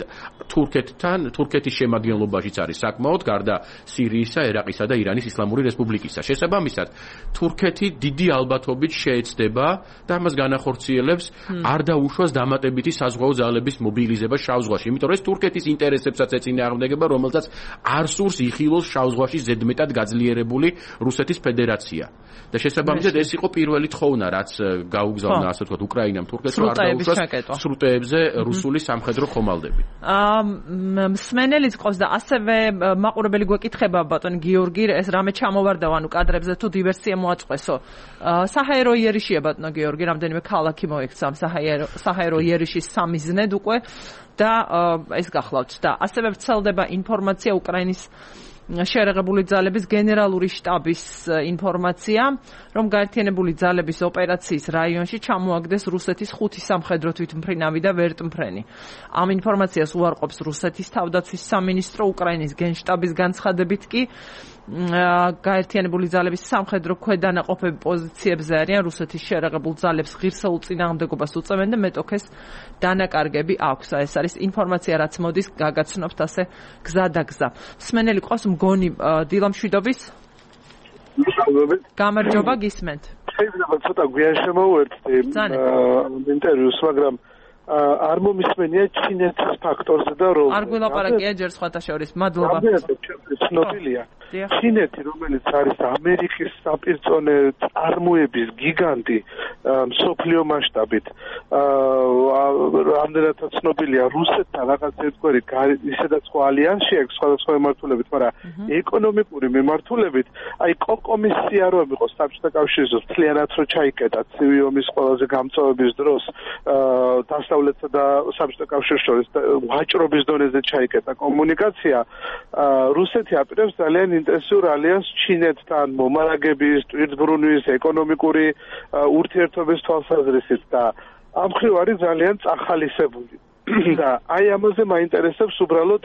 თურქეთთან, თურქეთის შემადგენლობაშიც არის საკმაოდ, გარდა სირიისა, ერაყისა და ირანის ისლამური რესპუბლიკისა. შესაბამისად, თურქეთი დიდი ალბათობით შეეცდება და ამას განახორციელებს არ დაუშვას დამატებითი საზღვაო ძალების მობილიზება შავ ზღვაში, იმიტომ რომ ეს თურქეთის ინტერესებსაც ეწინააღმდეგება, რომელსაც არ სურს იხილოს შავ ზღვაში ზედმეტად გაძლიერებული რუსეთის ფედერაცია. და შესაბამისად ეს იყო პირველი თხოვნა, რაც გაუგზავნა, ასე ვთქვათ, უკრაინამ თურქეთს არ დაუშვას სრუტეებზე რუსული სამხედრო ხომალდები. აა მსმენელიც ყავს და ასევე მაყურებელი გვეკითხება ბატონ გიორგი, ეს რამე ჩამოვარდა ანუ კადრებზე თუ დივერსია მოაწყვესო. საჰაერო იერიშია ბატონო გიორგი, რამდენიმე ქალაქი მოექცა საჰაერო საჰაერო იერიშის სამიზნედ უკვე და ეს გახლავთ და ასევე ვრცელდება ინფორმაცია უკრაინის შეერაღებული ძალების გენერალური შტაბის ინფორმაცია, რომ გაერთიანებული ძალების ოპერაციის რაიონში ჩამოაგდეს რუსეთის ხუთი სამხედრო თვითმფრინავი და ვერტმფრენი. ამ ინფორმაციას უარყოფს რუსეთის თავდაცვის სამინისტრო, უკრაინის გენშტაბის განცხადებით კი გაერთიანებული ძალების სამხედრო ქვედანაყოფები პოზიციებზე არიან, რუსეთის შეერაღებულ ძალებს ღირსეულ წინააღმდეგობას უწევენ და მეტოქეს დანაკარგები აქვს. ეს არის ინფორმაცია, რაც მოდის გაგაცნობთ ასე გზა და გზა. მსმენელი ყავს მგონი დილამშვიდობის. გამარჯობა, გისმენთ. შეიძლება ცოტა გვიან შემოვერთდი ინტერვიუს, მაგრამ არ მომისმენია ჩინეთის ფაქტორზე და როლზე. არ გვილაპარაკია ჯერ სხვათა შორის. მადლობა. ცნობილია. ჩინეთი, რომელიც არის ამერიკის საპირწონე წარმოების გიგანტი მსოფლიო მასშტაბით, რამდენადაც ცნობილია რუსეთთან რაღაც ერთგვარი ისედაც ხო ალიანსი აქვს სხვადასხვა მიმართულებით, მაგრამ ეკონომიკური მიმართულებით, აი კოკომის სიაროები იყო საბჭოთა კავშირზე მთლიანად რო ჩაიკეტა ცივი ომის ყველაზე გამწვავების დროს დასავლეთსა და საბჭოთა კავშირს შორის ვაჭრობის დონეზე ჩაიკეტა კომუნიკაცია, რუსეთი აპირებს ძალიან ინტენსიურ ალიანსს ჩინეთთან მომარაგების, ტვირთბრუნვის, ეკონომიკური ურთიერთობის თვალსაზრისით და ამ მხრივ არის ძალიან წახალისებული. და აი ამაზე მაინტერესებს უბრალოდ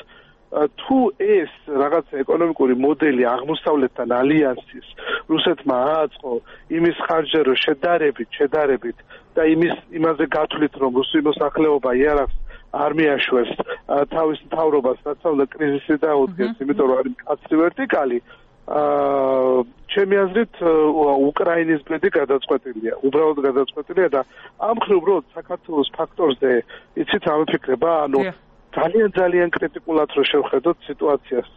თუ ეს რაღაც ეკონომიკური მოდელი აღმოსავლეთთან ალიანსის რუსეთმა ააწყო იმის ხარჯზე რომ შედარებით, შედარებით და იმის იმაზე გათვლით რომ რუსი მოსახლეობა იარაღს არ მიაშვებს თავის მთავრობას საცავლე კრიზისი დაუდგეს, იმიტომ რომ არის მკაცრი ვერტიკალი. აა ჩემი აზრით უკრაინის ბედი გადაწყვეტილია, უბრალოდ გადაწყვეტილია და ამ მხრივ უბრალოდ საქართველოს ფაქტორზე იცით რა ვიფიქრება, ანუ ძალიან ძალიან კრიტიკულად რო შევხედოთ სიტუაციას,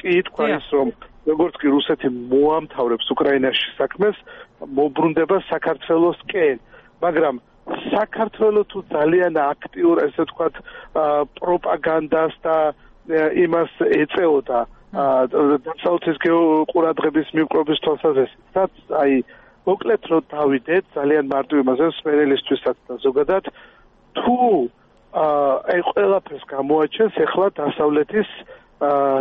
კი თქვა ის რომ როგორც კი რუსეთი მოამთავრებს უკრაინაში საქმეს, მოbrunდება საქართველოსკენ, მაგრამ საქართველოს თუ ძალიან აქტიურ ესე ვთქვათ პროპაგანდას და იმას ეწეოდა დასავლეთის გეოყურადღების მიკრობის თვალსაზრისით, სადაც აი მოკლედ რო დავიდეთ ძალიან მარტივ იმაზე სპერელისთვისაც და ზოგადად თუ აი ყველაფერს გამოაჩენს ახლა დასავლეთის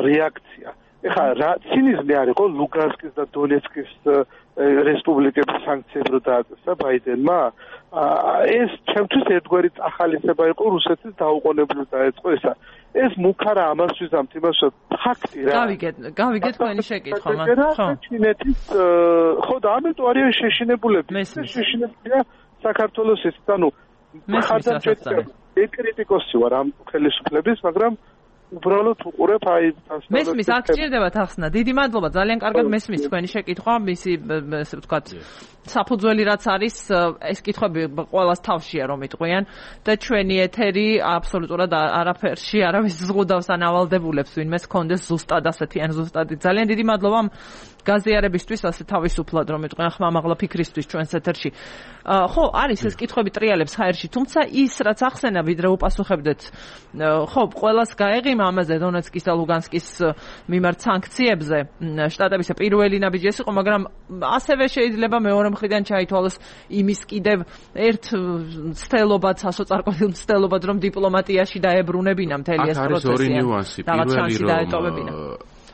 რეაქცია. ეხლა რა ცინიზმი არ იყო ლუგანსკის და დონეცკის რესპუბლიკების სანქციებს რო დააწესა ბაიდენმა, ეს ჩემთვის ერთგვარი წახალისება იყო რუსეთის დაუყოვნებლივ დაეწყო ესა. ეს მუქარა ამას ვიზამთ იმას რომ ფაქტი რა. გავიგეთ, გავიგეთ თქვენი შეკითხვა, ხო. ჩინეთის ხო და ამიტომ არიან შეშინებულები. შეშინებულია საქართველოსის, ანუ ხარდამჭერია. ეკრიტიკოსი ვარ ამ ხელისუფლების, მაგრამ უბრალოდ უყურებ აი მესმის აქ ჭირდებათ ახსნა. დიდი მადლობა, ძალიან კარგად მესმის თქვენი შეკითხვა, მისი ესე ვთქვათ საფუძველი რაც არის, ეს კითხვები ყველას თავშია რომ იტყვიან და ჩვენი ეთერი აბსოლუტურად არაფერში არავის ზღუდავს ან ავალდებულებს ვინმეს კონდეს ზუსტად ასეთი ან ზუსტად. ძალიან დიდი მადლობა გაზიარებისთვის, ასე თავისუფლად რომ იტყვიან ხმამაღლა ფიქრისთვის ჩვენს ეთერში. ხო, არის ეს კითხვები ტრიალებს ჰაერში, თუმცა ის რაც ახსენა ვიდრე უპასუხებდეთ, ხო, ყველას გაეღიმა ამაზე დონეცკის და ლუგანსკის მიმართ სანქციებზე, შტატების პირველი ნაბიჯი ეს იყო, მაგრამ ასევე შეიძლება მეორე მხრიდან ჩაითვალოს იმის კიდევ ერთ ცდელობად, სასოწარკვეთილ ცდელობად, რომ დიპლომატიაში დაებრუნებინა მთელი ეს პროცესი. აქ არის ორი ნიუანსი. პირველი რომ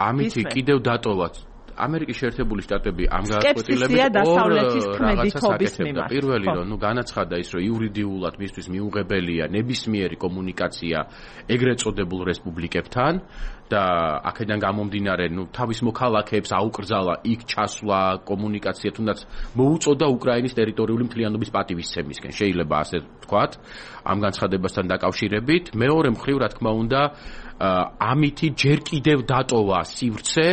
ამით კიდევ დატოვათ ამერიკის შეერთებული შტატები ამ გააკვეთილებით ორ პირველი რომ ნუ განაცხადა ის რომ იურიდიულად მისთვის მიუღებელია ნებისმიერი კომუნიკაცია ეგრეთ წოდებულ რესპუბლიკებთან და აქედან გამომდინარე ნუ თავის მოქალაქეებს აუკრძალა იქ ჩასვლა კომუნიკაცია თუნდაც მოუწოდა უკრაინის ტერიტორიული მთლიანობის პატივისცემისკენ შეიძლება ასე ვთქვათ ამ განცხადებასთან დაკავშირებით მეორე მხრივ რა თქმა უნდა ამითი ჯერ კიდევ დატოვა სივრცე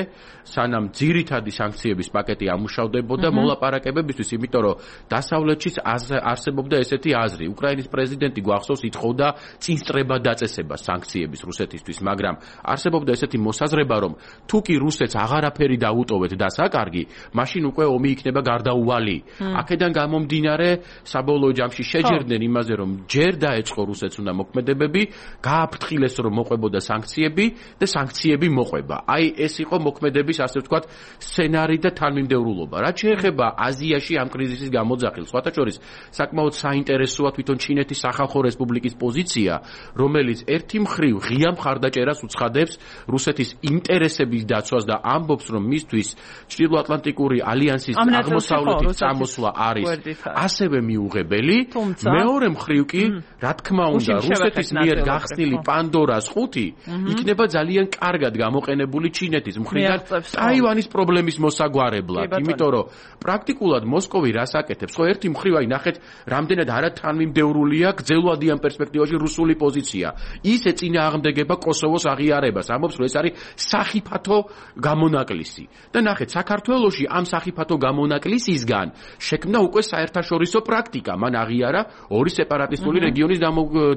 სანამ ძირითადი სანქციების პაკეტი ამუშავდებოდა მოლაპარაკებებისთვის, იმიტომ რომ დასავლეთშიც არსებობდა ესეთი აზრი. უკრაინის პრეზიდენტი გვახსოვს ითხოვდა წინსწრება დაწესება სანქციების რუსეთისთვის, მაგრამ არსებობდა ესეთი მოსაზრება, რომ თუ კი რუსეთს აღარაფერი დაუტოვეთ და საკარგი, მაშინ უკვე ომი იქნება გარდაუვალი. აქედან გამომდინარე, საბოლოო ჯამში შეჯერდნენ იმაზე, რომ ჯერ დაეწყო რუსეთს უნდა მოქმედებები, გააფრთხილეს რომ მოყვებოდა სანქციები და სანქციები მოყვება. აი ეს იყო მოქმედების ასე ვთქვათ, სცენარი და თანმიმდევრულობა. რაც შეეხება აზიაში ამ კრიზისის გამოძახილს, სხვათა შორის, საკმაოდ საინტერესოა თვითონ ჩინეთის სახალხო რესპუბლიკის პოზიცია, რომელიც ერთი მხრივ ღია მხარდაჭერას უცხადებს რუსეთის ინტერესების დაცვას და ამბობს, რომ მისთვის ჩრდილოატლანტიკური ალიანსის აღმოსავლეთის წამოსვლა არის ასევე მიუღებელი. მეორე მხრივ კი, რა თქმა უნდა, რუსეთის მიერ გახსნილი პანდორას ხუთი იქნება ძალიან კარგად გამოყენებული ჩინეთის მხრიდან ტაივანის პრობლემის მოსაგვარებლად, იმიტომ რომ პრაქტიკულად მოსკოვი რას აკეთებს? ხო, ერთი მხრივ აი ნახეთ, რამდენად არათანმიმდევრულია გრძელვადიან პერსპექტივაში რუსული პოზიცია. ის ეწინააღმდეგება კოსოვოს აღიარებას. ამბობს, რომ ეს არის სახიფათო გამონაკლისი. და ნახეთ, საქართველოში ამ სახიფათო გამონაკლისისგან შექმნა უკვე საერთაშორისო პრაქტიკა. მან აღიარა ორი სეპარატისტული რეგიონის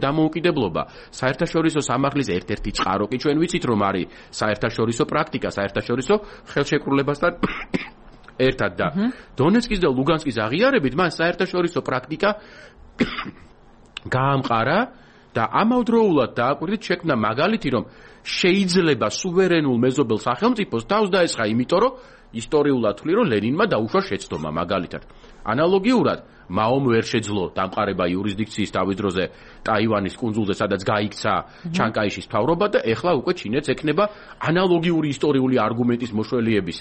დამოუკიდებლობა. საერთაშორისო სამართლის ერთ-ერთი წყარო კი ჩვენ ვიცით, რომ არის საერთაშორისო პრაქტიკა, საერთაშორისო ხელშეკრულებასთან ერთად და დონეცკის და ლუგანსკის აღიარებით მან საერთაშორისო პრაქტიკა გაამყარა და ამავდროულად დააკვირდით შექმნა მაგალითი, რომ შეიძლება სუვერენულ მეზობელ სახელმწიფოს თავს დაესხა, იმიტომ რომ ისტორიულად ვთვლი, რომ ლენინმა დაუშვა შეცდომა მაგალითად. ანალოგიურად მაომ ვერ შეძლო დამყარება იურისდიქციის თავის დროზე ტაივანის კუნძულზე, სადაც გაიქცა ჩანკაიშის მთავრობა და ეხლა უკვე ჩინეთს ექნება ანალოგიური ისტორიული არგუმენტის მოშველიების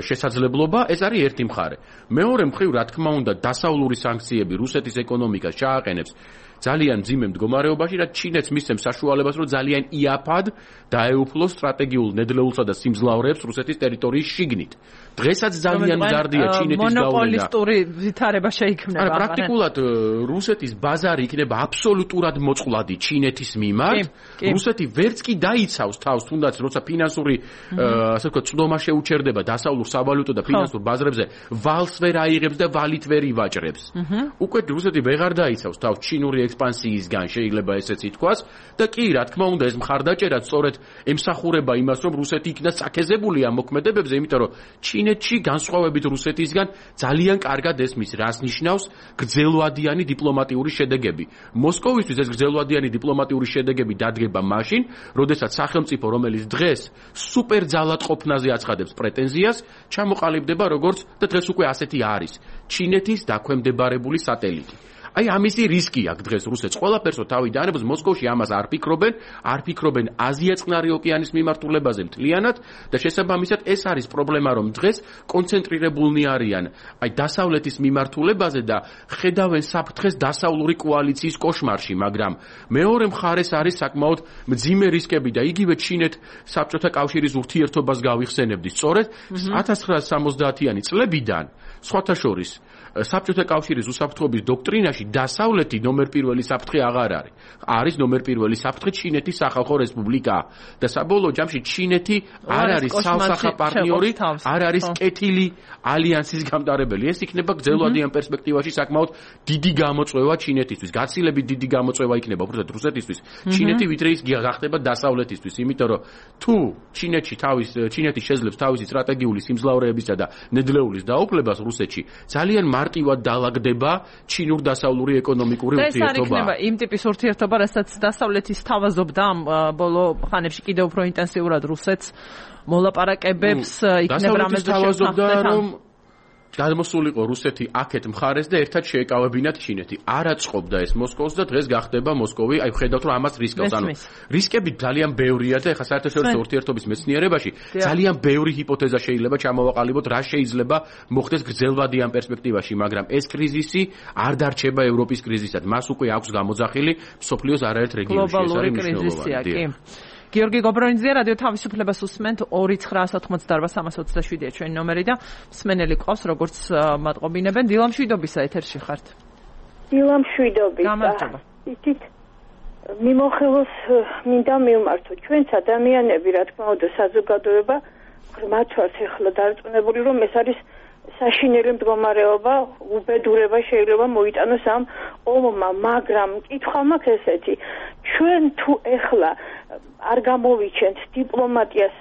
შესაძლებლობა. ეს არის ერთი მხარე. მეორე მხრივ, რა თქმა უნდა, დასავლური სანქციები რუსეთის ეკონომიკას ჩააყენებს ძალიან მძიმე მდგომარეობაში, რაც ჩინეთს მისცემს საშუალებას, რომ ძალიან იაფად დაეუფლოს სტრატეგიულ ნედლეულსა და სიმძლავრეებს რუსეთის ტერიტორიის შიგნით. დღესაც ძალიან მზარდია ჩინეთის გავლენა. მონოპოლისტური ვითარება შეიქმნება. არა, პრაქტიკულად რუსეთის ბაზარი იქნება აბსოლუტურად მოწყვლადი ჩინეთის მიმართ. რუსეთი ვერც კი დაიცავს თავს, თუნდაც როცა ფინანსური, ასე ვთქვათ, წვდომა შეუჩერდება დასავლურ სავალუტო და ფინანსურ ბაზრებზე, ვალს ვერ აიღებს და ვალით ვერ ივაჭრებს. უკვე რუსეთი ვეღარ დაიცავს თავს ჩინური ექსპანსიისგან, შეიძლება ესეც ითქვას და კი, რა თქმა უნდა, ეს მხარდაჭერა სწორედ ემსახურება იმას, რომ რუსეთი იქნა წაქეზებული ამ მოქმედებებზე, იმიტომ რომ ჩინეთში განსხვავებით რუსეთისგან ძალიან კარგად ესმის, რას ნიშნავს გრძელვადიანი დიპლომატიური შედეგები. მოსკოვისთვის ეს გრძელვადიანი დიპლომატიური შედეგები დადგება მაშინ, როდესაც სახელმწიფო, რომელიც დღეს სუპერ ძალადყოფნაზე აცხადებს პრეტენზიას, ჩამოყალიბდება როგორც და დღეს უკვე ასეთი არის ჩინეთის დაქვემდებარებული სატელიტი. აი ამისი რისკი აქვს დღეს რუსეთს. ყველაფერსო თავი დაანებოს, მოსკოვში ამას არ ფიქრობენ, არ ფიქრობენ აზია-წყნარი ოკეანის მიმართულებაზე მთლიანად და შესაბამისად ეს არის პრობლემა, რომ დღეს კონცენტრირებულნი არიან აი დასავლეთის მიმართულებაზე და ხედავენ საფრთხეს დასავლური კოალიციის კოშმარში, მაგრამ მეორე მხარეს არის საკმაოდ მძიმე რისკები და იგივე ჩინეთ საბჭოთა კავშირის ურთიერთობას გავიხსენებდი. სწორედ ათას ცხრაასი სამოცდაათიანი წლებიდან სხვათა შორის საბჭოთა კავშირის უსაფრთხოების დოქტრინაში დასავლეთი ნომერ პირველი საფრთხე აღარ არის. არის ნომერ პირველი საფრთხე ჩინეთის სახალხო რესპუბლიკა და საბოლოო ჯამში ჩინეთი არ არის სალსახა პარტნიორი, არ არის კეთილი ალიანსის გამტარებელი. ეს იქნება გრძელვადიან პერსპექტივაში საკმაოდ დიდი გამოწვევა ჩინეთისთვის. გაცილებით დიდი გამოწვევა იქნება უბრალოდ რუსეთისთვის. ჩინეთი ვიდრე ის გახდება დასავლეთისთვის, იმიტომ რომ თუ ჩინეთში თავის ჩინეთი შეძლებს თავისი სტრატეგიული სიმძლავრეებისა და ნედლეულის დაუფლებას რუსეთში, ძალიან მარტივად დაალაგდება ჩინურ-დასავლური ეკონომიკური ურთიერთობა. ეს არ იქნება იმ ტიპის ურთიერთობა, რასაც დასავლეთის თავაზობდა ამ ბოლო ხანებში კიდევ უფრო ინტენსიურად რუსეთს მოლაპარაკებებს იქნება რამეზე შევხსნა. გადმოსულიყო რუსეთი აქეთ მხარეს და ერთად შეეკავებინათ ჩინეთი. არ აწყობდა ეს მოსკოვს და დღეს გახდება მოსკოვი, აი ხედავთ რომ ამას რისკავს. ანუ რისკები ძალიან ბევრია და ეხლა საერთაშორისო ურთიერთობის მეცნიერებაში ძალიან ბევრი ჰიპოთეზა შეიძლება ჩამოვაყალიბოთ, რა შეიძლება მოხდეს გრძელვადიან პერსპექტივაში, მაგრამ ეს კრიზისი არ დარჩება ევროპის კრიზისად. მას უკვე აქვს გამოძახილი მსოფლიოს არაერთ რეგიონში. ეს არის მნიშვნელოვანი. გიორგი გობრონიძე, რადიო თავისუფლებას უსმენთ ორი ცხრაასი ოცდაოთხმოცდაარბა სამას ოცდაშვიდია ჩვენი ნომერი და მსმენელი ყავს, როგორც მატყობინებენ. დილამ შვიდობისა ეთერში ხართ. დილამ შვიდობისა. გამარჯობა. იცით, მიმოხილოს მინდა მივმართო. ჩვენც ადამიანები, რა თქმა უნდა, საზოგადოება ღრმად ვართ ახლა დარწმუნებული, რომ ეს არის საშინელი მდგომარეობა, უბედურება შეიძლება მოიტანოს ამ ომმა, მაგრამ კითხვა მაქვს ესეთი, ჩვენ თუ ეხლა არ გამოვიჩენთ დიპლომატიას,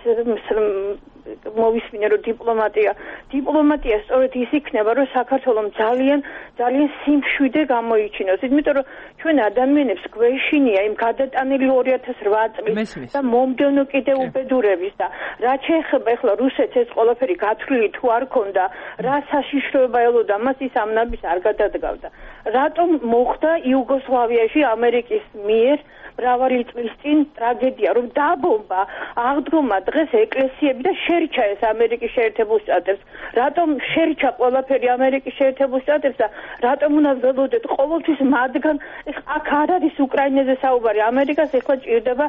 მოვისმინე რომ დიპლომატია, დიპლომატია სწორედ ის იქნება, რომ საქართველოს ძალიან ძალიან სიმშვიდე გამოიჩინოს. იმიტომ რომ ჩვენ ადამიანებს გვეშინია იმ გადატანილი ორი ათას რვა წლის და მომდევნო კიდე უბედურების და რაც შეეხება ეხლა რუსეთს ეს ყველაფერი გათვლილი თუ არ ქონდა, რა საშიშროება ელოდა მას, ის ამ ნაბის არ გადადგავდა. რატომ მოხდა იუგოსლავიაში ამერიკის მიერ მრავალი წლის წინ ტრაგედია, რომ დაბომბა, აღდგომა დღეს ეკლესიები და შერჩა ეს ამერიკის შეერთებულ შტატებს. რატომ შერჩა ყველაფერი ამერიკის შეერთებულ შტატებს და რატომ უნდა ველოდეთ ყოველთვის მათგან? აქ არ არის უკრაინაზე საუბარი, ამერიკას ეხლა ჭირდება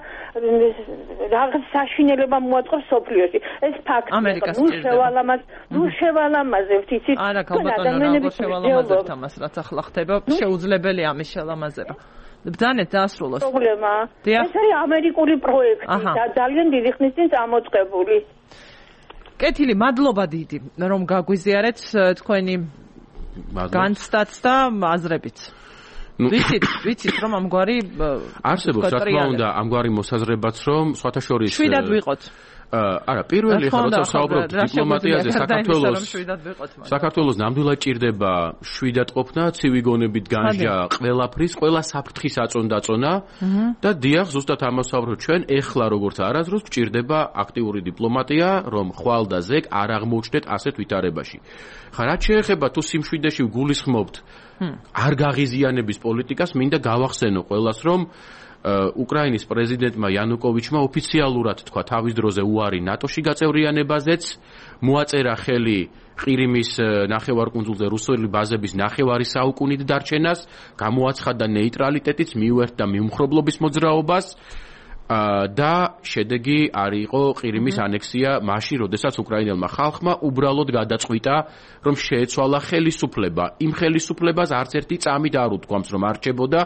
რაღაც საშინელება მოაწყოს სოფლიოში. ეს ფაქტია. ნუ შევალამაზ, ნუ შევალამაზებთ, იცით? არა, ქალბატონო, რა შევალამაზებთ ამას, რაც ახლა ხდება, შეუძლებელია ამის შელამაზება. ბრძანეთ დაასრულოს. პრობლემა. ეს არის ამერიკული პროექტი და ძალიან დიდი ხნის წინ წამოწყებული. კეთილი, მადლობა დიდი, რომ გაგვიზიარეთ თქვენი განცდაც და აზრებით. ვიცით, ვიცით რომ ამგვარი არსებობს რა თქმა უნდა ამგვარი მოსაზრებაც რომ სხვათა შორის შვიდად ვიყოთ. არა, პირველი ხა როცა საუბრობთ დიპლომატიაზე საქართველოს საქართველოს ნამდვილად ჭირდება შვიდად ყოფნა, ცივი გონებით განჯა, ყველაფრის, ყველა საფრთხის აწონდაწონა და დიახ, ზუსტად ამას ვსაუბრობთ ჩვენ, ეხლა როგორც არასდროს გჭირდება აქტიური დიპლომატია, რომ ხვალ და ზეგ არ აღმოჩნდეთ ასეთ ვითარებაში. ხა რაც შეეხება თუ სიმშვიდეში გულისხმობთ არ გაღიზიანების პოლიტიკას, მინდა გავახსენო ყველას, რომ უკრაინის პრეზიდენტმა იანუკოვიჩმა ოფიციალურად თქვა თავის დროზე უარი ნატოში გაწევრიანებაზეც, მოაწერა ხელი ყირიმის ნახევარკუნძულზე რუსული ბაზების ნახევარი საუკუნით დარჩენას, გამოაცხადა ნეიტრალიტეტიც, მიუერთდა მიუმხრობლობის მოძრაობას და შედეგი არ იყო ყირიმის ანექსია მაშინ, როდესაც უკრაინელმა ხალხმა უბრალოდ გადაწყვიტა, რომ შეეცვალა ხელისუფლება. იმ ხელისუფლებას არც ერთი წამით არ უთქვამს, რომ არჩებოდა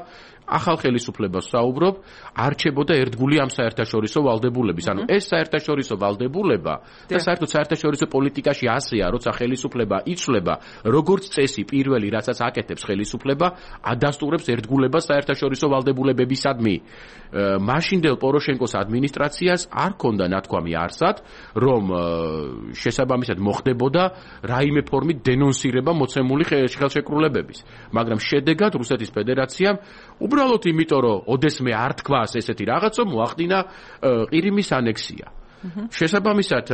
ახალ ხელისუფლებას საუბრობ, არჩებოდა ერთგული ამ საერთაშორისო ვალდებულების. ანუ ეს საერთაშორისო ვალდებულება და საერთოდ საერთაშორისო პოლიტიკაში ასეა, როცა ხელისუფლება იცვლება, როგორც წესი პირველი, რასაც აკეთებს ხელისუფლება, ადასტურებს ერთგულებას საერთაშორისო ვალდებულებებისადმი. მაშინდელ პოროშენკოს ადმინისტრაციას არ ჰქონდა ნათქვამი არსად, რომ შესაბამისად მოხდებოდა რაიმე ფორმით დენონსირება მოცემული ხელშეკრულებების. მაგრამ შედეგად რუსეთის ფედერაციამ უბრალოდ იმიტომ, რომ ოდესმე არ თქვას ესეთი რაღაცა, მოახდინა ყირიმის ანექსია. შესაბამისად,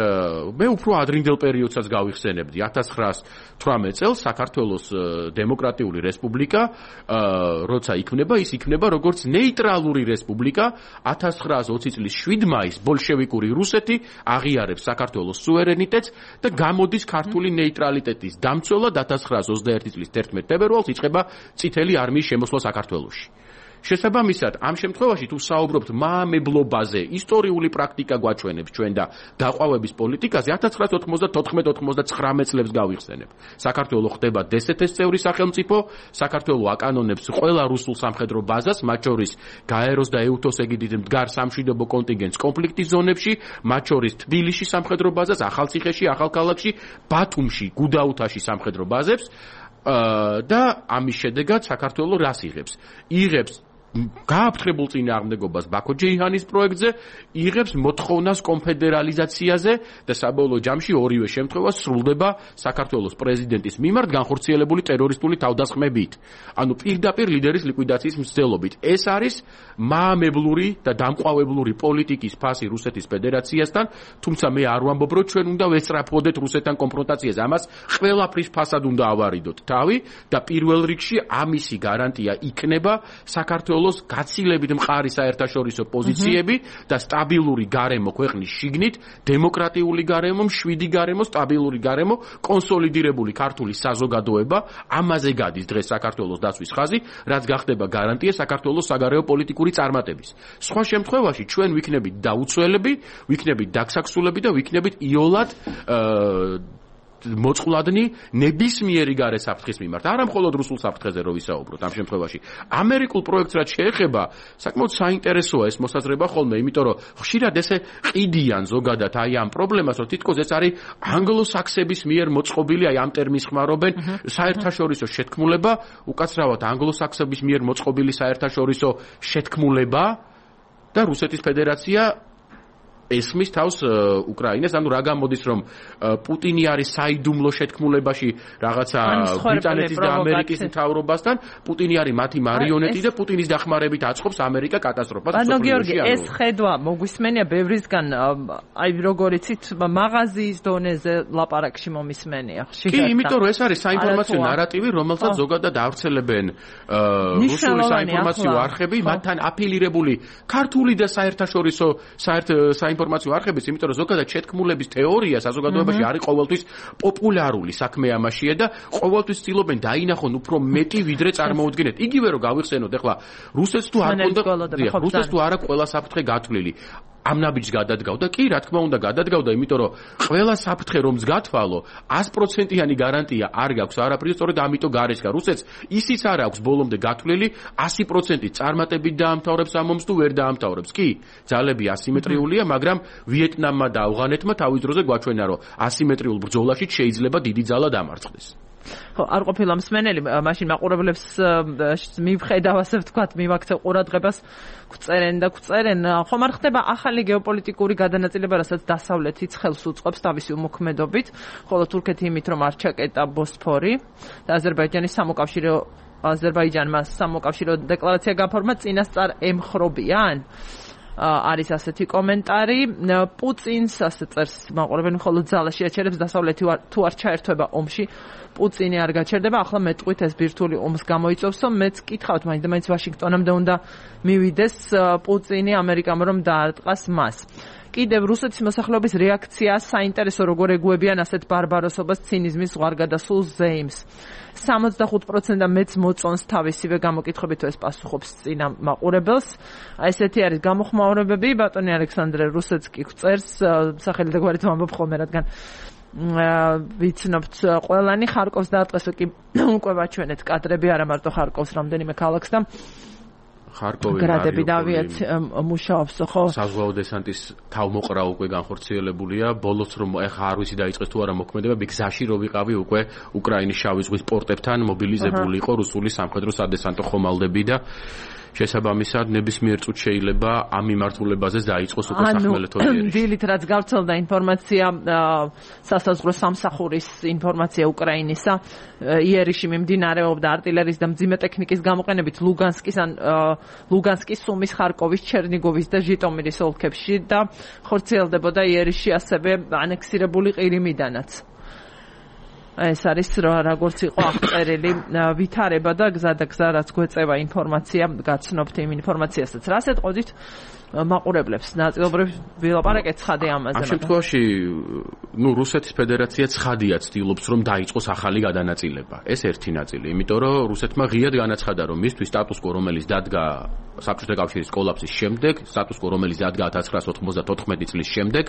მე უფრო ადრინდელ პერიოდსაც გავიხსენებდი. ათას ცხრაას თვრამეტ წელს საქართველოს დემოკრატიული რესპუბლიკა, როცა იქმნება, ის იქმნება როგორც ნეიტრალური რესპუბლიკა. ათას ცხრაას ოცი წლის შვიდ მაისს ბოლშევიკური რუსეთი აღიარებს საქართველოს სუვერენიტეტს და გამოდის ქართული ნეიტრალიტეტის დამცველად. ათას ცხრაას ოცდაერთი წლის თერთმეტ თებერვალს იწყება წითელი არმიის შემოსვლა საქართველოში. შესაბამისად, ამ შემთხვევაში თუ საუბრობთ მაამებლობაზე, ისტორიული პრაქტიკა გვაჩვენებს ჩვენ და დაყვავების პოლიტიკაზე, ათას ცხრაას ოთხმოცდათოთხმეტ ოთხმოცდაცხრამეტ წლებს გავიხსენებ. საქართველო ხდება დსთ-ს წევრი სახელმწიფო, საქართველო აკანონებს ყველა რუსულ სამხედრო ბაზას, მათ შორის გაეროს და ეუთოს ეგიდით მდგარ სამშვიდობო კონტინგენტს კონფლიქტის ზონებში, მათ შორის თბილისში სამხედრო ბაზას, ახალციხეში, ახალქალაქში, ბათუმში, გუდაუთაში სამხედრო ბაზებს და ამის შედეგად საქართველო რას იღებს? იღებს გააფრთხებულ წინააღმდეგობას ბაქო ჯეიჰანის პროექტზე, იღებს მოთხოვნას კონფედერალიზაციაზე და საბოლოო ჯამში ორივე შემთხვევა სრულდება საქართველოს პრეზიდენტის მიმართ განხორციელებული ტერორისტული თავდასხმებით. ანუ პირდაპირ ლიდერის ლიკვიდაციის მცდელობით. ეს არის მაამებლური და დამყვავებლური პოლიტიკის ფასი რუსეთის ფედერაციასთან, თუმცა მე არ ვამბობ, რომ ჩვენ უნდა ვესწრაფოდეთ რუსეთთან კონფრონტაციას. ამას ყველაფრის ფასად უნდა ავარიდოთ თავი და პირველ რიგში ამისი გარანტია იქნება საქართველოს გაცილებით მყარი საერთაშორისო პოზიციები და სტაბილური გარემო ქვეყნის შიგნით, დემოკრატიული გარემო, მშვიდი გარემო, სტაბილური გარემო, კონსოლიდირებული ქართული საზოგადოება, ამაზე გადის დღეს საქართველოს დაცვის ხაზი, რაც გახდება გარანტია საქართველოს საგარეო პოლიტიკური წარმატების. სხვა შემთხვევაში ჩვენ ვიქნებით დაუცველები, ვიქნებით დაგსაქსულები და ვიქნებით იოლად მოწყვლადნი ნებისმიერი გარე საფრთხის მიმართ. არა მხოლოდ რუსულ საფრთხეზე რო ვისაუბროთ ამ შემთხვევაში. ამერიკულ პროექტს რაც შეეხება, საკმაოდ საინტერესოა ეს მოსაზრება ხოლმე, იმიტომ რომ ხშირად ესე ყიდიან ზოგადად აი ამ პრობლემას, რომ თითქოს ეს არის ანგლოსაქსების მიერ მოწყობილი, აი ამ ტერმინს ხმარობენ, საერთაშორისო შეთქმულება, უკაცრავად ანგლოსაქსების მიერ მოწყობილი საერთაშორისო შეთქმულება და რუსეთის ფედერაცია ესმის თავს უკრაინას, ანუ რა გამოდის, რომ პუტინი არის საიდუმლო შეთქმულებაში რაღაცა ბრიტანეთის და ამერიკის მთავრობასთან, პუტინი არის მათი მარიონეტი და პუტინის დახმარებით აწყობს ამერიკა კატასტროფას. ბატონო გიორგი, ეს ხედვა მოგვისმენია ბევრისგან, აი როგორ იცით, მაღაზიის დონეზე ლაპარაკში მომისმენია. კი, იმიტომ რომ ეს არის საინფორმაციო ნარატივი, რომელსაც ზოგადად ავრცელებენ რუსული საინფორმაციო არხები, მათთან აფილირებული ქართული და საერთაშორისო საერთო ინფორმაციო არხების, იმიტომ რომ ზოგადად შეთქმულების თეორია საზოგადოებაში არის ყოველთვის პოპულარული საქმე ამაშია და ყოველთვის ცდილობენ დაინახონ უფრო მეტი ვიდრე წარმოუდგენთ. იგივე რომ გავიხსენოთ, ახლა რუსეთს თუ არ კონდა, რუსეთს თუ არ აქვს ყველა საფრთხე გათვლილი. ამ ნაბიჯს გადადგავდა? კი, რა თქმა უნდა, გადადგავდა, იმიტომ რომ ყველა საფრთხე რომს გათვალო, sto პროცენტიანი გარანტია არ გაქვს არაფრის, სწორედ ამიტომ გარესკა რუსეთს ისიც არ აქვს ბოლომდე გათვლილი sto პროცენტი წარმატებით დაამთავრებს ამ ომს თუ ვერ დაამთავრებს. კი, ძალები ასიმეტრიულია, მაგრამ ვიეტნამმა და ავღანეთმა თავის დროზე გვაჩვენა, რომ ასიმეტრიულ ბრძოლაში შეიძლება დიდი ძალა დამარცხდეს. ხო, არ ყოფილა მსმენელი, მაშინ მაყურებლებს მივხედავ, ასე ვთქვათ, მივაქცევ ყურადღებას, გვწერენ და გვწერენ. ხომ არ ხდება ახალი გეოპოლიტიკური გადანაწილება, რასაც დასავლეთიც ხელს უწყობს თავისი უმოქმედობით, ხოლო თურქეთი იმით, რომ არ ჩაკეტა ბოსფორი და აზერბაიჯანის სამოკავშირო აზერბაიჯანმა სამოკავშირო დეკლარაცია გაფორმა, წინასწარ ემხრობიან. არის ასეთი კომენტარი. პუტინს ასე წერს მაყურებელი, მხოლოდ ძალა შეაჩერებს, დასავლეთი თუ არ ჩაერთვება ომში, პუტინი არ გაჩერდება. ახლა მეტყვით ეს ბირთვული ომს გამოიწვევს, რომ მეც კითხავთ, მაინც და მაინც ვაშინგტონამდე უნდა მივიდეს პუტინი ამერიკამ, რომ დაარტყას მას. კიდევ რუსეთის მოსახლეობის რეაქცია საინტერესო, როგორ ეგუებიან ასეთ ბარბაროსობას, ცინიზმის ზღვარგადასულ ზეიმს. სამოცდახუთ პროცენტი მეც მოწონს თავისივე გამოკითხებით, ეს პასუხობს წინა მაყურებელს. ესეთი არის გამოხმაურებები. ბატონი ალექსანდრე რუსეთს კი წერს, სახელი და გვარით ვამბობ ხოლმე, რადგან ვიცნობთ ყველანი. ხარკოვს დაარტყეს, კი უკვე ვაჩვენეთ კადრები, არა მარტო ხარკოვს, რამდენიმე ქალაქს და ხარკოვი გრადები და ავიაცია მუშაობს, ხო? საზღვაო დესანტის თავმოყრა უკვე განხორციელებულია. ბოლოს რომ ეხა არ ვიცი დაიწყეს თუ არა მოქმედება, გზაში რო ვიყავი უკვე უკრაინის შავი ზღვის პორტებთან მობილიზებული იყო რუსული სამხედრო სადესანტო ხომალდები და შესაბამისად ნებისმიერ წუთს შეიძლება ამ მიმართულებაზე დაიწყოს უკვე სახმელეთო იერიში. დილით რაც გავრცელდა ინფორმაცია, სასაზღვრო სამსახურის ინფორმაცია უკრაინისა, იერიში მიმდინარეობდა артиლერიის და მძიმე ტექნიკის გამოყენებით ლუგანსკის ან ლუგანსკის, სუმის, ხარკოვის, ჩერნიგოვის და ჟიტომირის ოლქებში და ხორციელდებოდა იერიში ასევე ანექსირებული ყირიმიდანაც. ეს არის როგორც იყო აღწერილი ვითარება და გზა და გზა რაც გვეწევა ინფორმაცია, გაცნობთ იმ ინფორმაციასაც. რას ეტყოდით მაყურებლებს? ნაწილობრივ ვილაპარაკეთ ცხადე ამაზე. ამ შემთხვევაში, ნუ რუსეთის ფედერაცია ცხადია ცდილობს რომ დაიწყოს ახალი გადანაწილება. ეს ერთი ნაწილი, იმიტომ რომ რუსეთმა ღიად განაცხადა, რომ მისთვის სტატუს-კვო, რომელიც დადგა საბჭოთა კავშირის კოლაფსის შემდეგ, სტატუს-კვო, რომელიც დადგა ათას ცხრაას ოთხმოცდათოთხმეტი წლის შემდეგ,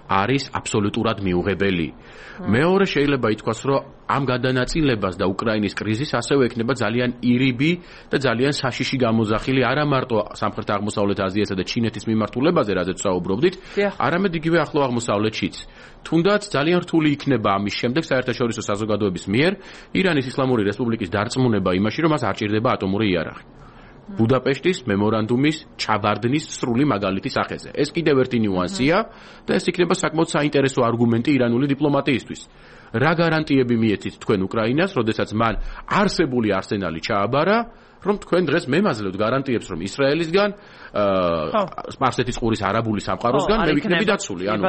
არის აბსოლუტურად მიუღებელი. მეორე შეიძლება ითქვას, რომ ამ გადანაწილებას და უკრაინის კრიზისს ასევე ექნება ძალიან ირიბი და ძალიან საშიში გამოძახილი არა მარტო სამხრეთ აღმოსავლეთ აზიასა და ჩინეთის მიმართულებაზე, რაზეც საუბრობდით, არამედ იგივე ახლო აღმოსავლეთშიც. თუნდაც ძალიან რთული იქნება ამის შემდეგ საერთაშორისო საზოგადოების მიერ ირანის ისლამური რესპუბლიკის დარწმუნება იმაში, რომ მას არ ჭირდება ატომური იარაღი. ბუდაპეშტის მემორანდუმის ჩაბარდნის სრული მაგალითის სახეზე. ეს კიდევ ერთი ნიუანსია და ეს იქნება საკმაოდ საინტერესო არგუმენტი ირანული დიპლომატიისთვის. რა გარანტიები მიეცით თქვენ უკრაინას, როდესაც მან არსებული არსენალი ჩააბარა, რომ თქვენ დღეს მემაძლევთ გარანტიებს, რომ ისრაელისგან, სპარსეთის ყურის არაბული სამყაროსგან მე ვიქნები დაცული. ანუ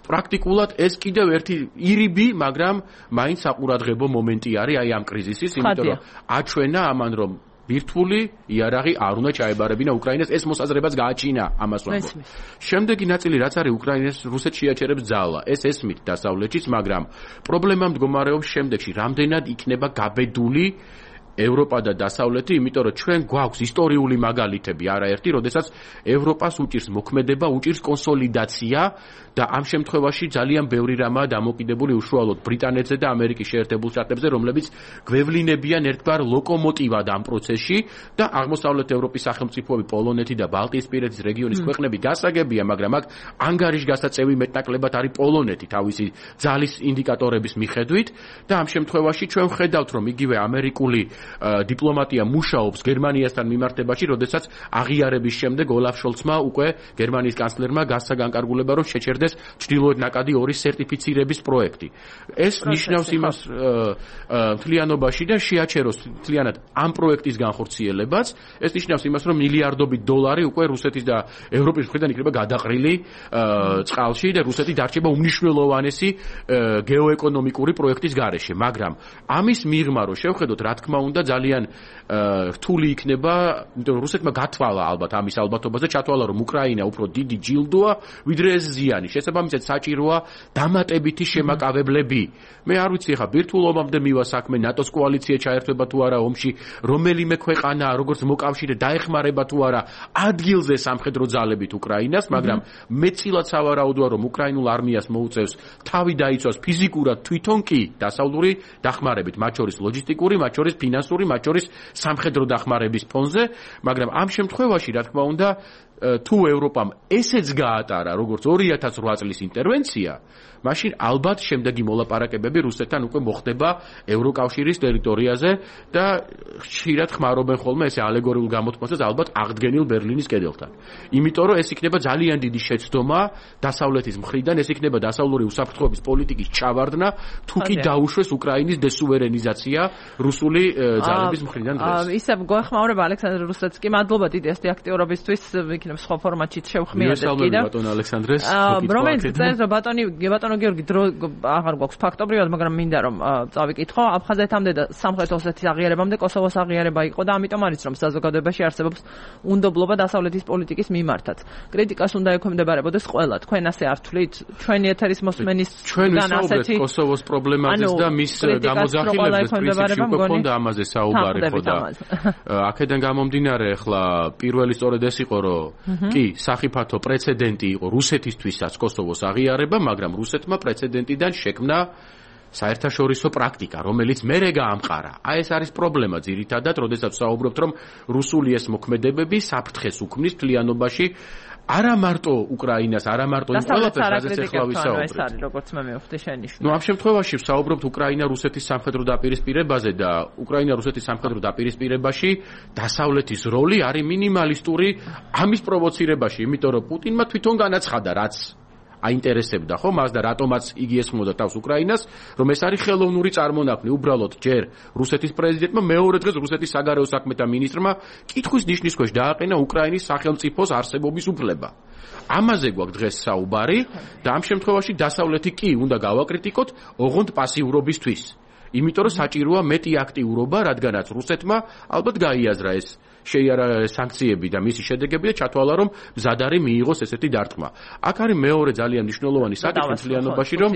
პრაქტიკულად ეს კიდევ ერთი ირიბი, მაგრამ მაინც საყურადღებო მომენტი არის აი ამ კრიზისის, იმიტომ რომ აჩვენა ამან რომ ბირთვული იარაღი არ უნდა ჩაებარებინა უკრაინას, ეს მოსაზრებაც გააჩინა ამას ვამბობ. შემდეგი ნაწილი რაც არის უკრაინას რუსეთს შეაჩერებს ძალა. ეს ესმით დასავლეთშიც, მაგრამ პრობლემა მდგომარეობს შემდეგში, რამდენად იქნება გაბედული ევროპა და დასავლეთი, იმიტომ რომ ჩვენ გვაქვს ისტორიული მაგალითები არაერთი, როდესაც ევროპას უჭირს მოქმედება, უჭირს კონსოლიდაცია და ამ შემთხვევაში ძალიან ბევრი რამაა დამოკიდებული უშუალოდ ბრიტანეთზე და ამერიკის შეერთებულ შტატებზე, რომლებიც გვევლინებიან ერთგვარ ლოკომოტივად ამ პროცესში და აღმოსავლეთ ევროპის სახელმწიფოები, პოლონეთი და ბალტიისპირეთის რეგიონის ქვეყნები გასაგებია, მაგრამ აქ ანგარიშგასაწევი მეტნაკლებად არის პოლონეთი თავისი ძალის ინდიკატორების მიხედვით და ამ შემთხვევაში ჩვენ ვხედავთ, რომ იგივე ამერიკული დიპლომატია მუშაობს გერმანიასთან მიმართებაში, როდესაც აღიარების შემდეგ ოლაფ შოლცმა უკვე გერმანიის კანცლერმა გასცა განკარგულება, რომ შეჩერდეს ჩრდილოეთ ნაკადი ორი სერტიფიცირების პროექტი. ეს ნიშნავს იმას მთლიანობაში და შეაჩეროს მთლიანად ამ პროექტის განხორციელებაც. ეს ნიშნავს იმას, რომ მილიარდობით დოლარი უკვე რუსეთის და ევროპის მხრიდან იქნება გადაყრილი წყალში და რუსეთი დარჩება უმნიშვნელოვანესი გეოეკონომიკური პროექტის გარეშე. მაგრამ ამის მიღმა, რომ შევხედოთ, რა თქმა უნდა, და ძალიან რთული იქნება, იმიტომ რომ რუსეთმა გათვალა ალბათ ამის ალბათობაზე, ჩათვალა რომ უკრაინა უფრო დიდი ჯილდოა, ვიდრე ეს ზიანი. შესაბამისად საჭიროა დამატებითი შემაკავებლები. მე არ ვიცი ხა ბირთვულ ომამდე მივა საქმე, ნატოს კოალიცია ჩაერთვება თუ არა ომში, რომელიმე ქვეყანა როგორც მოკავშირე დაეხმარება თუ არა ადგილზე სამხედრო ძალებით უკრაინას, მაგრამ მეცილად სავარაუდოა რომ უკრაინულ არმიას მოუწევს თავი დაიცვას ფიზიკურად თვითონ კი დასავლური დახმარებით, მათ შორის ლოჯისტიკური, მათ შორის ფინანსური, მათ შორის სამხედრო დახმარების ფონზე, მაგრამ ამ შემთხვევაში, რა თქმა უნდა, თუ ევროპამ ესეც გაატარა, როგორც ორი ათას ოთხ წლის ინტერვენცია, მაშინ ალბათ შემდეგი მოლაპარაკებები რუსეთთან უკვე მოხდება ევროკავშირის ტერიტორიაზე და ხშირად ხმარობენ ხოლმე ესე ალეგორიულ გამოთქმასაც ალბათ აღდგენილ ბერლინის კედელთან. იმიტომ რომ ეს იქნება ძალიან დიდი შეცდომა დასავლეთის მხრიდან, ეს იქნება დასავლური უსაფრთხოების პოლიტიკის ჩავარდნა, თუ კი დაუშვეს უკრაინის დესუვერენიზაცია რუსული ძალების მხრიდან დღეს. ისე გვეხმაურება ალექსანდრე რუსეთსკი, მადლობა დიდი ეს აქტიურობისთვის, იქნება სხვა ფორმატში შევხმიათ კიდევ. ბატონ ალექსანდრეს, რომელიც წერს რომ ბატონი ბატონო გიორგი დრო აღარ გვაქვს ფაქტობრივად, მაგრამ მინდა რომ წავიკითხო, აფხაზეთამდე და სამხრეთ ოსეთის აღიარებამდე კოსოვოს აღიარება იყო და ამიტომ არის რომ საზოგადოებაში არსებობს უნდობლობა დასავლეთის პოლიტიკის მიმართაც. კრიტიკას უნდა ექვემდებარებოდეს ყველა. თქვენ ასე არ თვლით? ჩვენი ეთერის მოსმენის გან ასეთი კოსოვოს პრობლემაზეც და მის გამოძახილებას პრინციპში უკვე ქონდა ამაზე საუბარი ხო და აქედან გამომდინარე ახლა პირველი სწორედ ეს იყო რომ კი სახიფათო პრეცედენტი იყო რუსეთისთვისაც კოსოვოს აღიარება, მაგრამ რუსეთმა პრეცედენტიდან შექმნა საერთაშორისო პრაქტიკა, რომელიც მერე გაამყარა. აი ეს არის პრობლემა ძირითადად, როდესაც საუბრობთ რომ რუსული ეს მოქმედებები საფრთხეს უქმნის მთლიანობაში არა მარტო უკრაინას, არა მარტო იმ ყველაფერს, რაზეც ახლა ვისაუბრეთ. ეს არის როგორც მე მივხვდი შენიშვნა. ნუ ამ შემთხვევაში ვსაუბრობთ უკრაინა-რუსეთის სამხედრო დაპირისპირებაზე და უკრაინა-რუსეთის სამხედრო დაპირისპირებაში დასავლეთის როლი არის მინიმალისტური ამის პროვოცირებაში, იმიტომ რომ პუტინმა თვითონ განაცხადა, რაც აინტერესებდა ხო მას და რატომაც იგი ესმოდა თავს უკრაინას, რომ ეს არის ხელოვნური წარმონაქმნი. უბრალოდ ჯერ რუსეთის პრეზიდენტმა, მეორე დღეს რუსეთის საგარეო საქმეთა მინისტრმა კითხვის ნიშნის ქვეშ დააყენა უკრაინის სახელმწიფოს არსებობის უფლება. ამაზე გვაქვს დღეს საუბარი და ამ შემთხვევაში დასავლეთი კი უნდა გავაკრიტიკოთ ოღონდ პასიურობისთვის. იმიტომ რომ საჭიროა მეტი აქტიურობა, რადგანაც რუსეთმა ალბათ გაიაზრა ეს შეიარა სანქციები და მისი შედეგები და ჩათვალა რომ მზად არის მიიღოს ესეთი დარტყმა. აქ არის მეორე ძალიან მნიშვნელოვანი საკითხი მთლიანობაში, რომ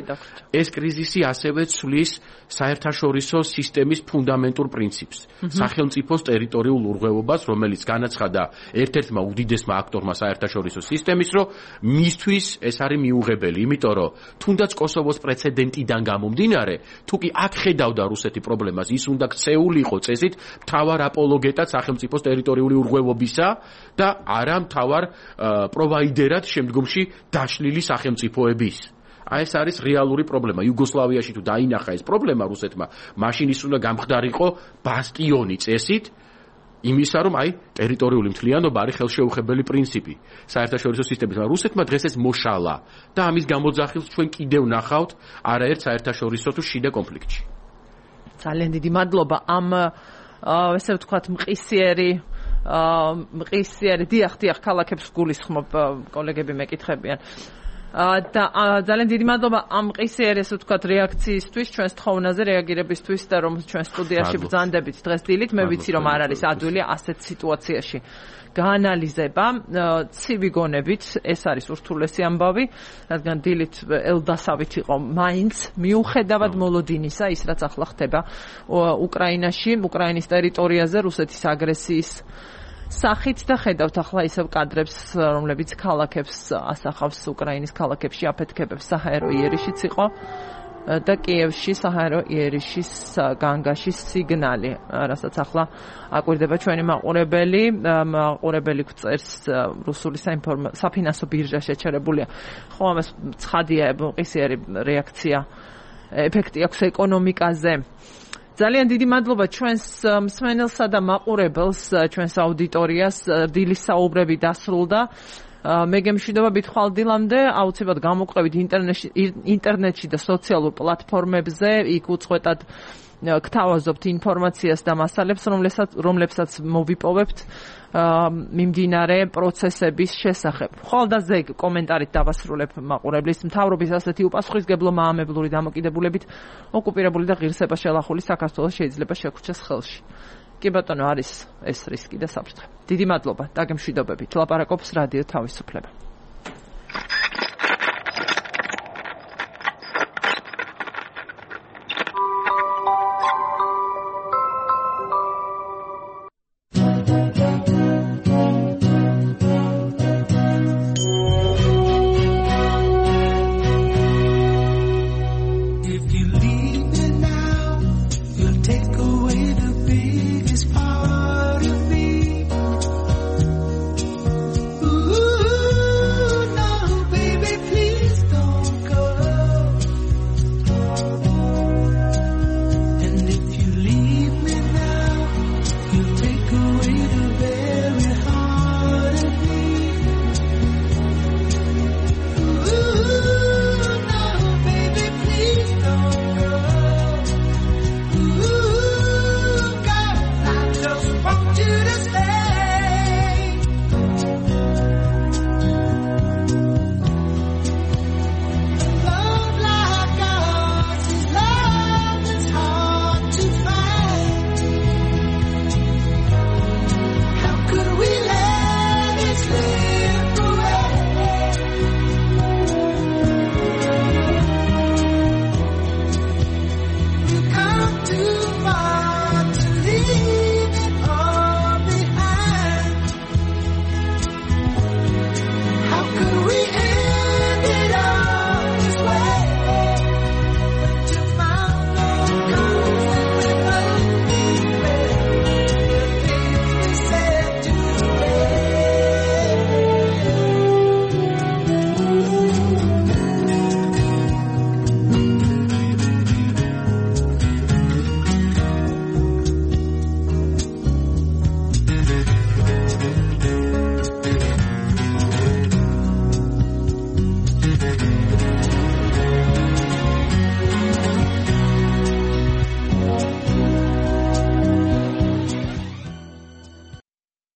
ეს კრიზისი ასევე ცვლის საერთაშორისო სისტემის ფუნდამენტურ პრინციპს, სახელმწიფოს ტერიტორიულ ურღვევობას, რომელიც განაცხადა ერთ-ერთმა უდიდესმა აქტორმა საერთაშორისო სისტემის, რომ მისთვის ეს არის მიუღებელი, იმიტომ რომ თუნდაც კოსოვოს პრეცედენტიდან გამომდინარე, თუ კი აქ ხედავდა რუსეთი პრობლემას, ის უნდა ქცეულიყო წესით მთავარ აპოლოგეტად სახელმწიფოს ტერიტორიული ურღვევობისა და არა მთავარ პროვაიდერად შემდგომში დაშლილი სახელმწიფოების. აი ეს არის რეალური პრობლემა. იუგოსლავიაში თუ დაინახა ეს პრობლემა რუსეთმა, მაშინ ის უნდა გამხდარიყო ბასტიონი წესით იმისა, რომ აი ტერიტორიული მთლიანობა არის ხელშეუხებელი პრინციპი საერთაშორისო სისტემის. მაგრამ რუსეთმა დღეს ეს მოშალა და ამის გამოძახილს ჩვენ კიდევ ნახავთ არაერთ საერთაშორისო თუ შიდა კონფლიქტში. ძალიან დიდი მადლობა ამ ესე ვთქვათ მყისიერი მყისიერი დიახ დიახ ქალაქებს გულისხმობ კოლეგები მეკითხებიან და ძალიან დიდი მადლობა ამ მყისიერი ესე ვთქვათ რეაქციისთვის ჩვენს თხოვნაზე რეაგირებისთვის და რომ ჩვენ სტუდიაში ბრძანდებით დღეს დილით მე ვიცი რომ არ არის ადვილი ასეთ სიტუაციაში გაანალიზება ცივი გონებით ეს არის ურთულესი ამბავი რადგან დილით ელდასავით იყო მაინც მიუხედავად მოლოდინისა ის რაც ახლა ხდება უკრაინაში უკრაინის ტერიტორიაზე რუსეთის აგრესიის სახით და ხედავთ ახლა ისევ კადრებს რომლებიც ქალაქებს ასახავს უკრაინის ქალაქებში აფეთქებებს საჰაერო იერიშიც იყო და კიევში საჰაერო იერიშის განგაშის სიგნალი რასაც ახლა აკვირდება ჩვენი მაყურებელი მაყურებელი წერს რუსული საფინანსო ბირჟა შეჩერებულია ხო ამას ცხადია მყისიერი რეაქცია ეფექტი აქვს ეკონომიკაზე ძალიან დიდი მადლობა ჩვენს მსმენელსა და მაყურებელს ჩვენს აუდიტორიას დილის საუბრები დასრულდა მე გემშვიდობა ბითხვალ დილამდე აუცილებლად გამოგვყევით ინტერნეტში ინტერნეტში და სოციალურ პლატფორმებზე იქ უწყვეტად გთავაზობთ ინფორმაციას და მასალებს, რომლებსაც რომლებსაც მოვიპოვებთ მიმდინარე პროცესების შესახებ. ხვალდაზე კომენტარით დავასრულებ მაყურებლის მთავრობის ასეთი უპასუხისგებლო მაამებლური დამოკიდებულებით ოკუპირებული და ღირსება შელახული საქართველოს შეიძლება შეგრჩეს ხელში. კი ბატონო, არის ეს რისკი და საფრთხე. დიდი მადლობა, დაგემშვიდობებით. ლაპარაკობს რადიო თავისუფლება.